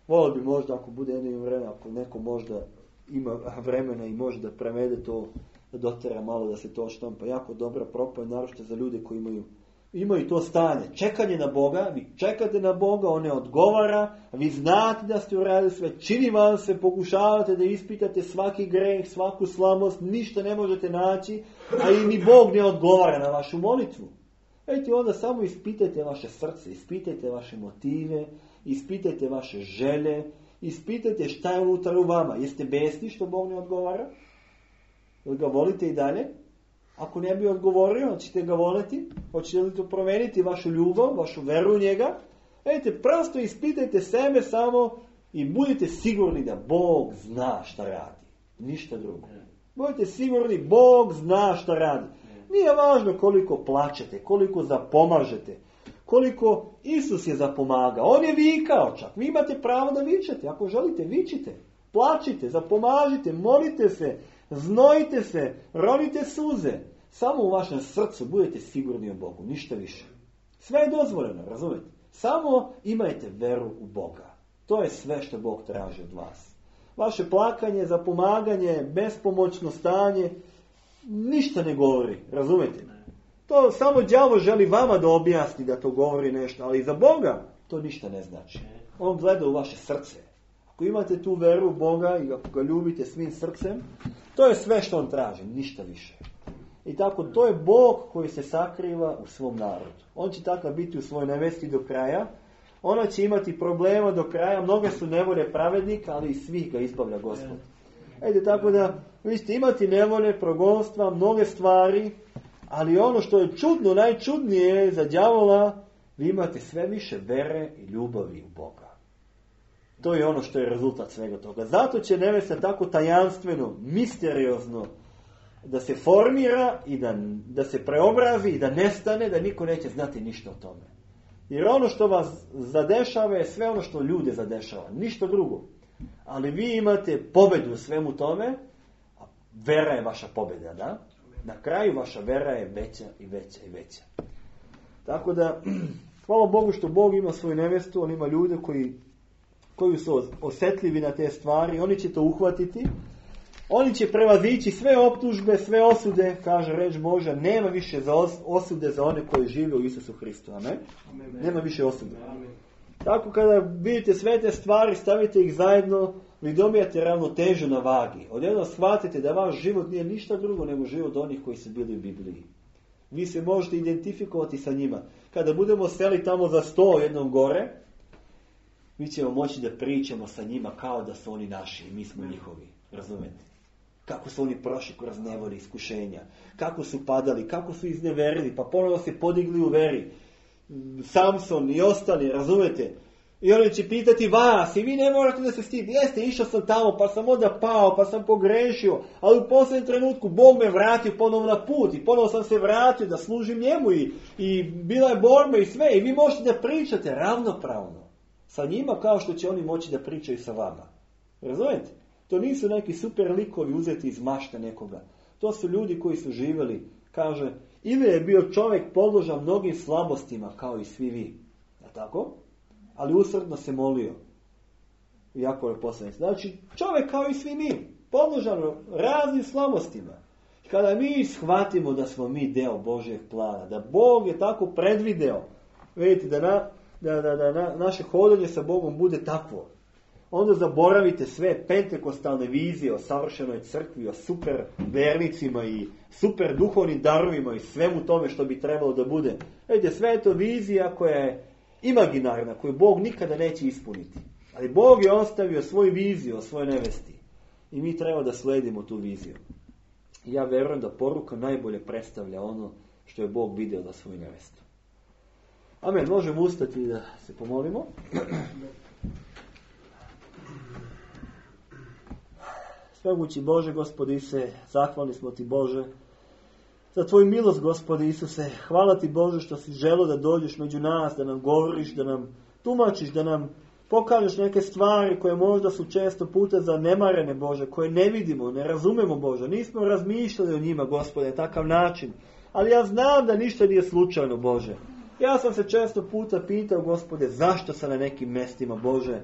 Volio bi možda ako bude jedno vremena, ako neko možda ima vremena i može da prevede to, da dotera malo da se to odštampa. Jako dobra propoved, naročito za ljude koji imaju imaju to stanje, čekanje na Boga, vi čekate na Boga, on ne odgovara, vi znate da ste uradili sve, čini vam se, pokušavate da ispitate svaki greh, svaku slabost, ništa ne možete naći, a i ni Bog ne odgovara na vašu molitvu. Ejte, onda samo ispitajte vaše srce, ispitajte vaše motive, ispitajte vaše želje, ispitajte šta je unutar u vama. Jeste besni što Bog ne odgovara? Ili ga volite i dalje? Ako ne bi odgovorio, hoćete ga voliti? Hoćete li to promeniti vašu ljubav, vašu veru u njega? Vidite, prosto ispitajte sebe samo i budite sigurni da Bog zna šta radi. Ništa drugo. Budite sigurni, Bog zna šta radi. Nije važno koliko plačete, koliko zapomažete, koliko Isus je zapomagao. On je vikao čak. Vi imate pravo da vičete. Ako želite, vičite. Plačite, zapomažite, molite se, znojite se, ronite suze. Samo u vašem srcu budete sigurni o Bogu. Ništa više. Sve je dozvoljeno, razumijete? Samo imajte veru u Boga. To je sve što Bog traži od vas. Vaše plakanje, zapomaganje, bespomoćno stanje, ništa ne govori, razumijete? To samo đavo želi vama da objasni da to govori nešto, ali za Boga to ništa ne znači. On gleda u vaše srce. Ako imate tu veru u Boga i ako ga ljubite svim srcem, to je sve što on traži, ništa više. I tako, to je Bog koji se sakriva u svom narodu. On će takav biti u svojoj nevesti do kraja. Ona će imati problema do kraja. Mnoge su nevolje pravednika, ali i svih ga izbavlja Gospod. Ede, tako da, vi ćete imati nevolje, progonstva, mnoge stvari, ali ono što je čudno, najčudnije za đavola, vi imate sve više vere i ljubavi u Boga. To je ono što je rezultat svega toga. Zato će nevesta tako tajanstveno, misteriozno, da se formira i da, da se preobrazi i da nestane, da niko neće znati ništa o tome. Jer ono što vas zadešava je sve ono što ljude zadešava. Ništa drugo. Ali vi imate pobedu u svemu tome, a vera je vaša pobeda, da? Na kraju vaša vera je veća i veća i veća. Tako da, hvala Bogu što Bog ima svoju nevestu, on ima ljude koji, koji su osjetljivi na te stvari, oni će to uhvatiti. Oni će prevazići sve optužbe, sve osude, kaže reč Božja, nema više za osude za one koji žive u Isusu Hristu. Amen? Amen. Nema više osude. Amen. Tako kada vidite sve te stvari, stavite ih zajedno, vi dobijate ravnotežu na vagi. Odjedno shvatite da vaš život nije ništa drugo nego život onih koji su bili u Bibliji. Vi se možete identifikovati sa njima. Kada budemo seli tamo za sto jednom gore, mi ćemo moći da pričamo sa njima kao da su oni naši i mi smo njihovi. Razumete? Kako su oni prošli kroz nevolje, iskušenja. Kako su padali, kako su izneverili, pa ponovno se podigli u veri. Samson i ostali, razumete? I oni će pitati vas i vi ne morate da se stidite. Jeste, išao sam tamo, pa sam onda pao, pa sam pogrešio, ali u posljednjem trenutku Bog me vratio ponovno na put i ponovno sam se vratio da služim njemu i, i bila je borba i sve. I vi možete da pričate ravnopravno sa njima kao što će oni moći da pričaju sa vama. Razumete? To nisu neki super likovi uzeti iz mašte nekoga. To su ljudi koji su živjeli, kaže, ili je bio čovjek podložan mnogim slabostima kao i svi vi. Je tako? Ali usrdno se molio. Jako je poslanik. Znači, čovjek kao i svi mi, podložan raznim slabostima. Kada mi shvatimo da smo mi deo Božjeg plana, da Bog je tako predvideo, vidite, da, na, da, da, da na, naše hodanje sa Bogom bude takvo, onda zaboravite sve pentekostalne vizije o savršenoj crkvi, o super vernicima i super duhovnim darovima i svemu tome što bi trebalo da bude. Vidite, sve je to vizija koja je imaginarna, koju Bog nikada neće ispuniti. Ali Bog je ostavio svoju viziju o svojoj nevesti. I mi treba da sledimo tu viziju. I ja verujem da poruka najbolje predstavlja ono što je Bog vidio za svoju nevestu. Amen. Možemo ustati i da se pomolimo. Svemogući Bože, Gospode Isuse, zahvalni smo Ti, Bože, za Tvoju milost, Gospode Isuse. Hvala Ti, Bože, što si želeo da dođeš među nas, da nam govoriš, da nam tumačiš, da nam pokažeš neke stvari koje možda su često puta zanemarene, Bože, koje ne vidimo, ne razumemo, Bože. Nismo razmišljali o njima, Gospode, na takav način. Ali ja znam da ništa nije slučajno, Bože. Ja sam se često puta pitao, Gospode, zašto sam na nekim mestima, Bože.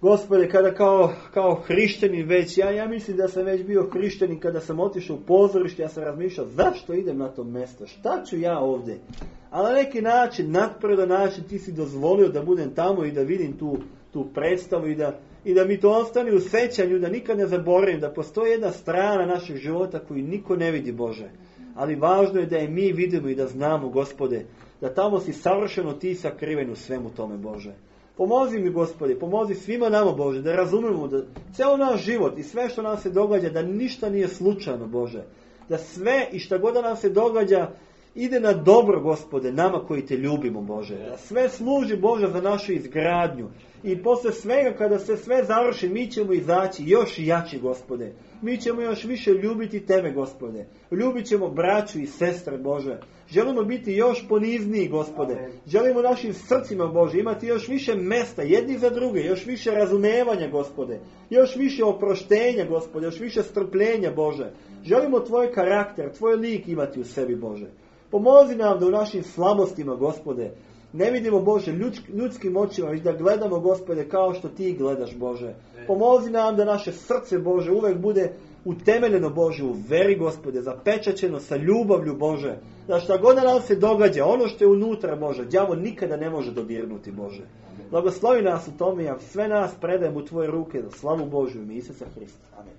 Gospode, kada kao, kao hrišćanin već, ja, ja mislim da sam već bio hrišćanin kada sam otišao u pozorište, ja sam razmišljao zašto idem na to mjesto, šta ću ja ovdje? A na neki način, nadpredan način, ti si dozvolio da budem tamo i da vidim tu, tu predstavu i da, i da mi to ostane u sećanju, da nikad ne zaboravim, da postoji jedna strana našeg života koju niko ne vidi, Bože. Ali važno je da je mi vidimo i da znamo, Gospode, da tamo si savršeno ti sakriven u svemu tome, Bože. Pomozi mi, Gospode, pomozi svima nama, Bože, da razumemo da ceo naš život i sve što nam se događa, da ništa nije slučajno, Bože. Da sve i šta god da nam se događa ide na dobro, Gospode, nama koji te ljubimo, Bože. Da sve služi, Bože, za našu izgradnju. I posle svega, kada se sve završi, mi ćemo izaći još jači, Gospode. Mi ćemo još više ljubiti Tebe, Gospode. Ljubit ćemo braću i sestre, Bože. Želimo biti još ponizniji, Gospode. Želimo našim srcima, Bože, imati još više mesta jedni za druge, još više razumevanja, Gospode. Još više oproštenja, Gospode, još više strpljenja, Bože. Želimo Tvoj karakter, Tvoj lik imati u sebi, Bože. Pomozi nam da u našim slabostima, Gospode, ne vidimo, Bože, ljudskim očima, već da gledamo, Gospode, kao što Ti gledaš, Bože. Pomozi nam da naše srce, Bože, uvek bude utemeljeno, Bože, u veri, Gospode, zapečaćeno sa ljubavlju, Bože. Da šta god da nam se događa, ono što je unutra, Bože, đavo nikada ne može dodirnuti, Bože. Blagoslovi nas u tome, ja sve nas predajem u Tvoje ruke za slavu Božju ime Isusa Hrista. Amen.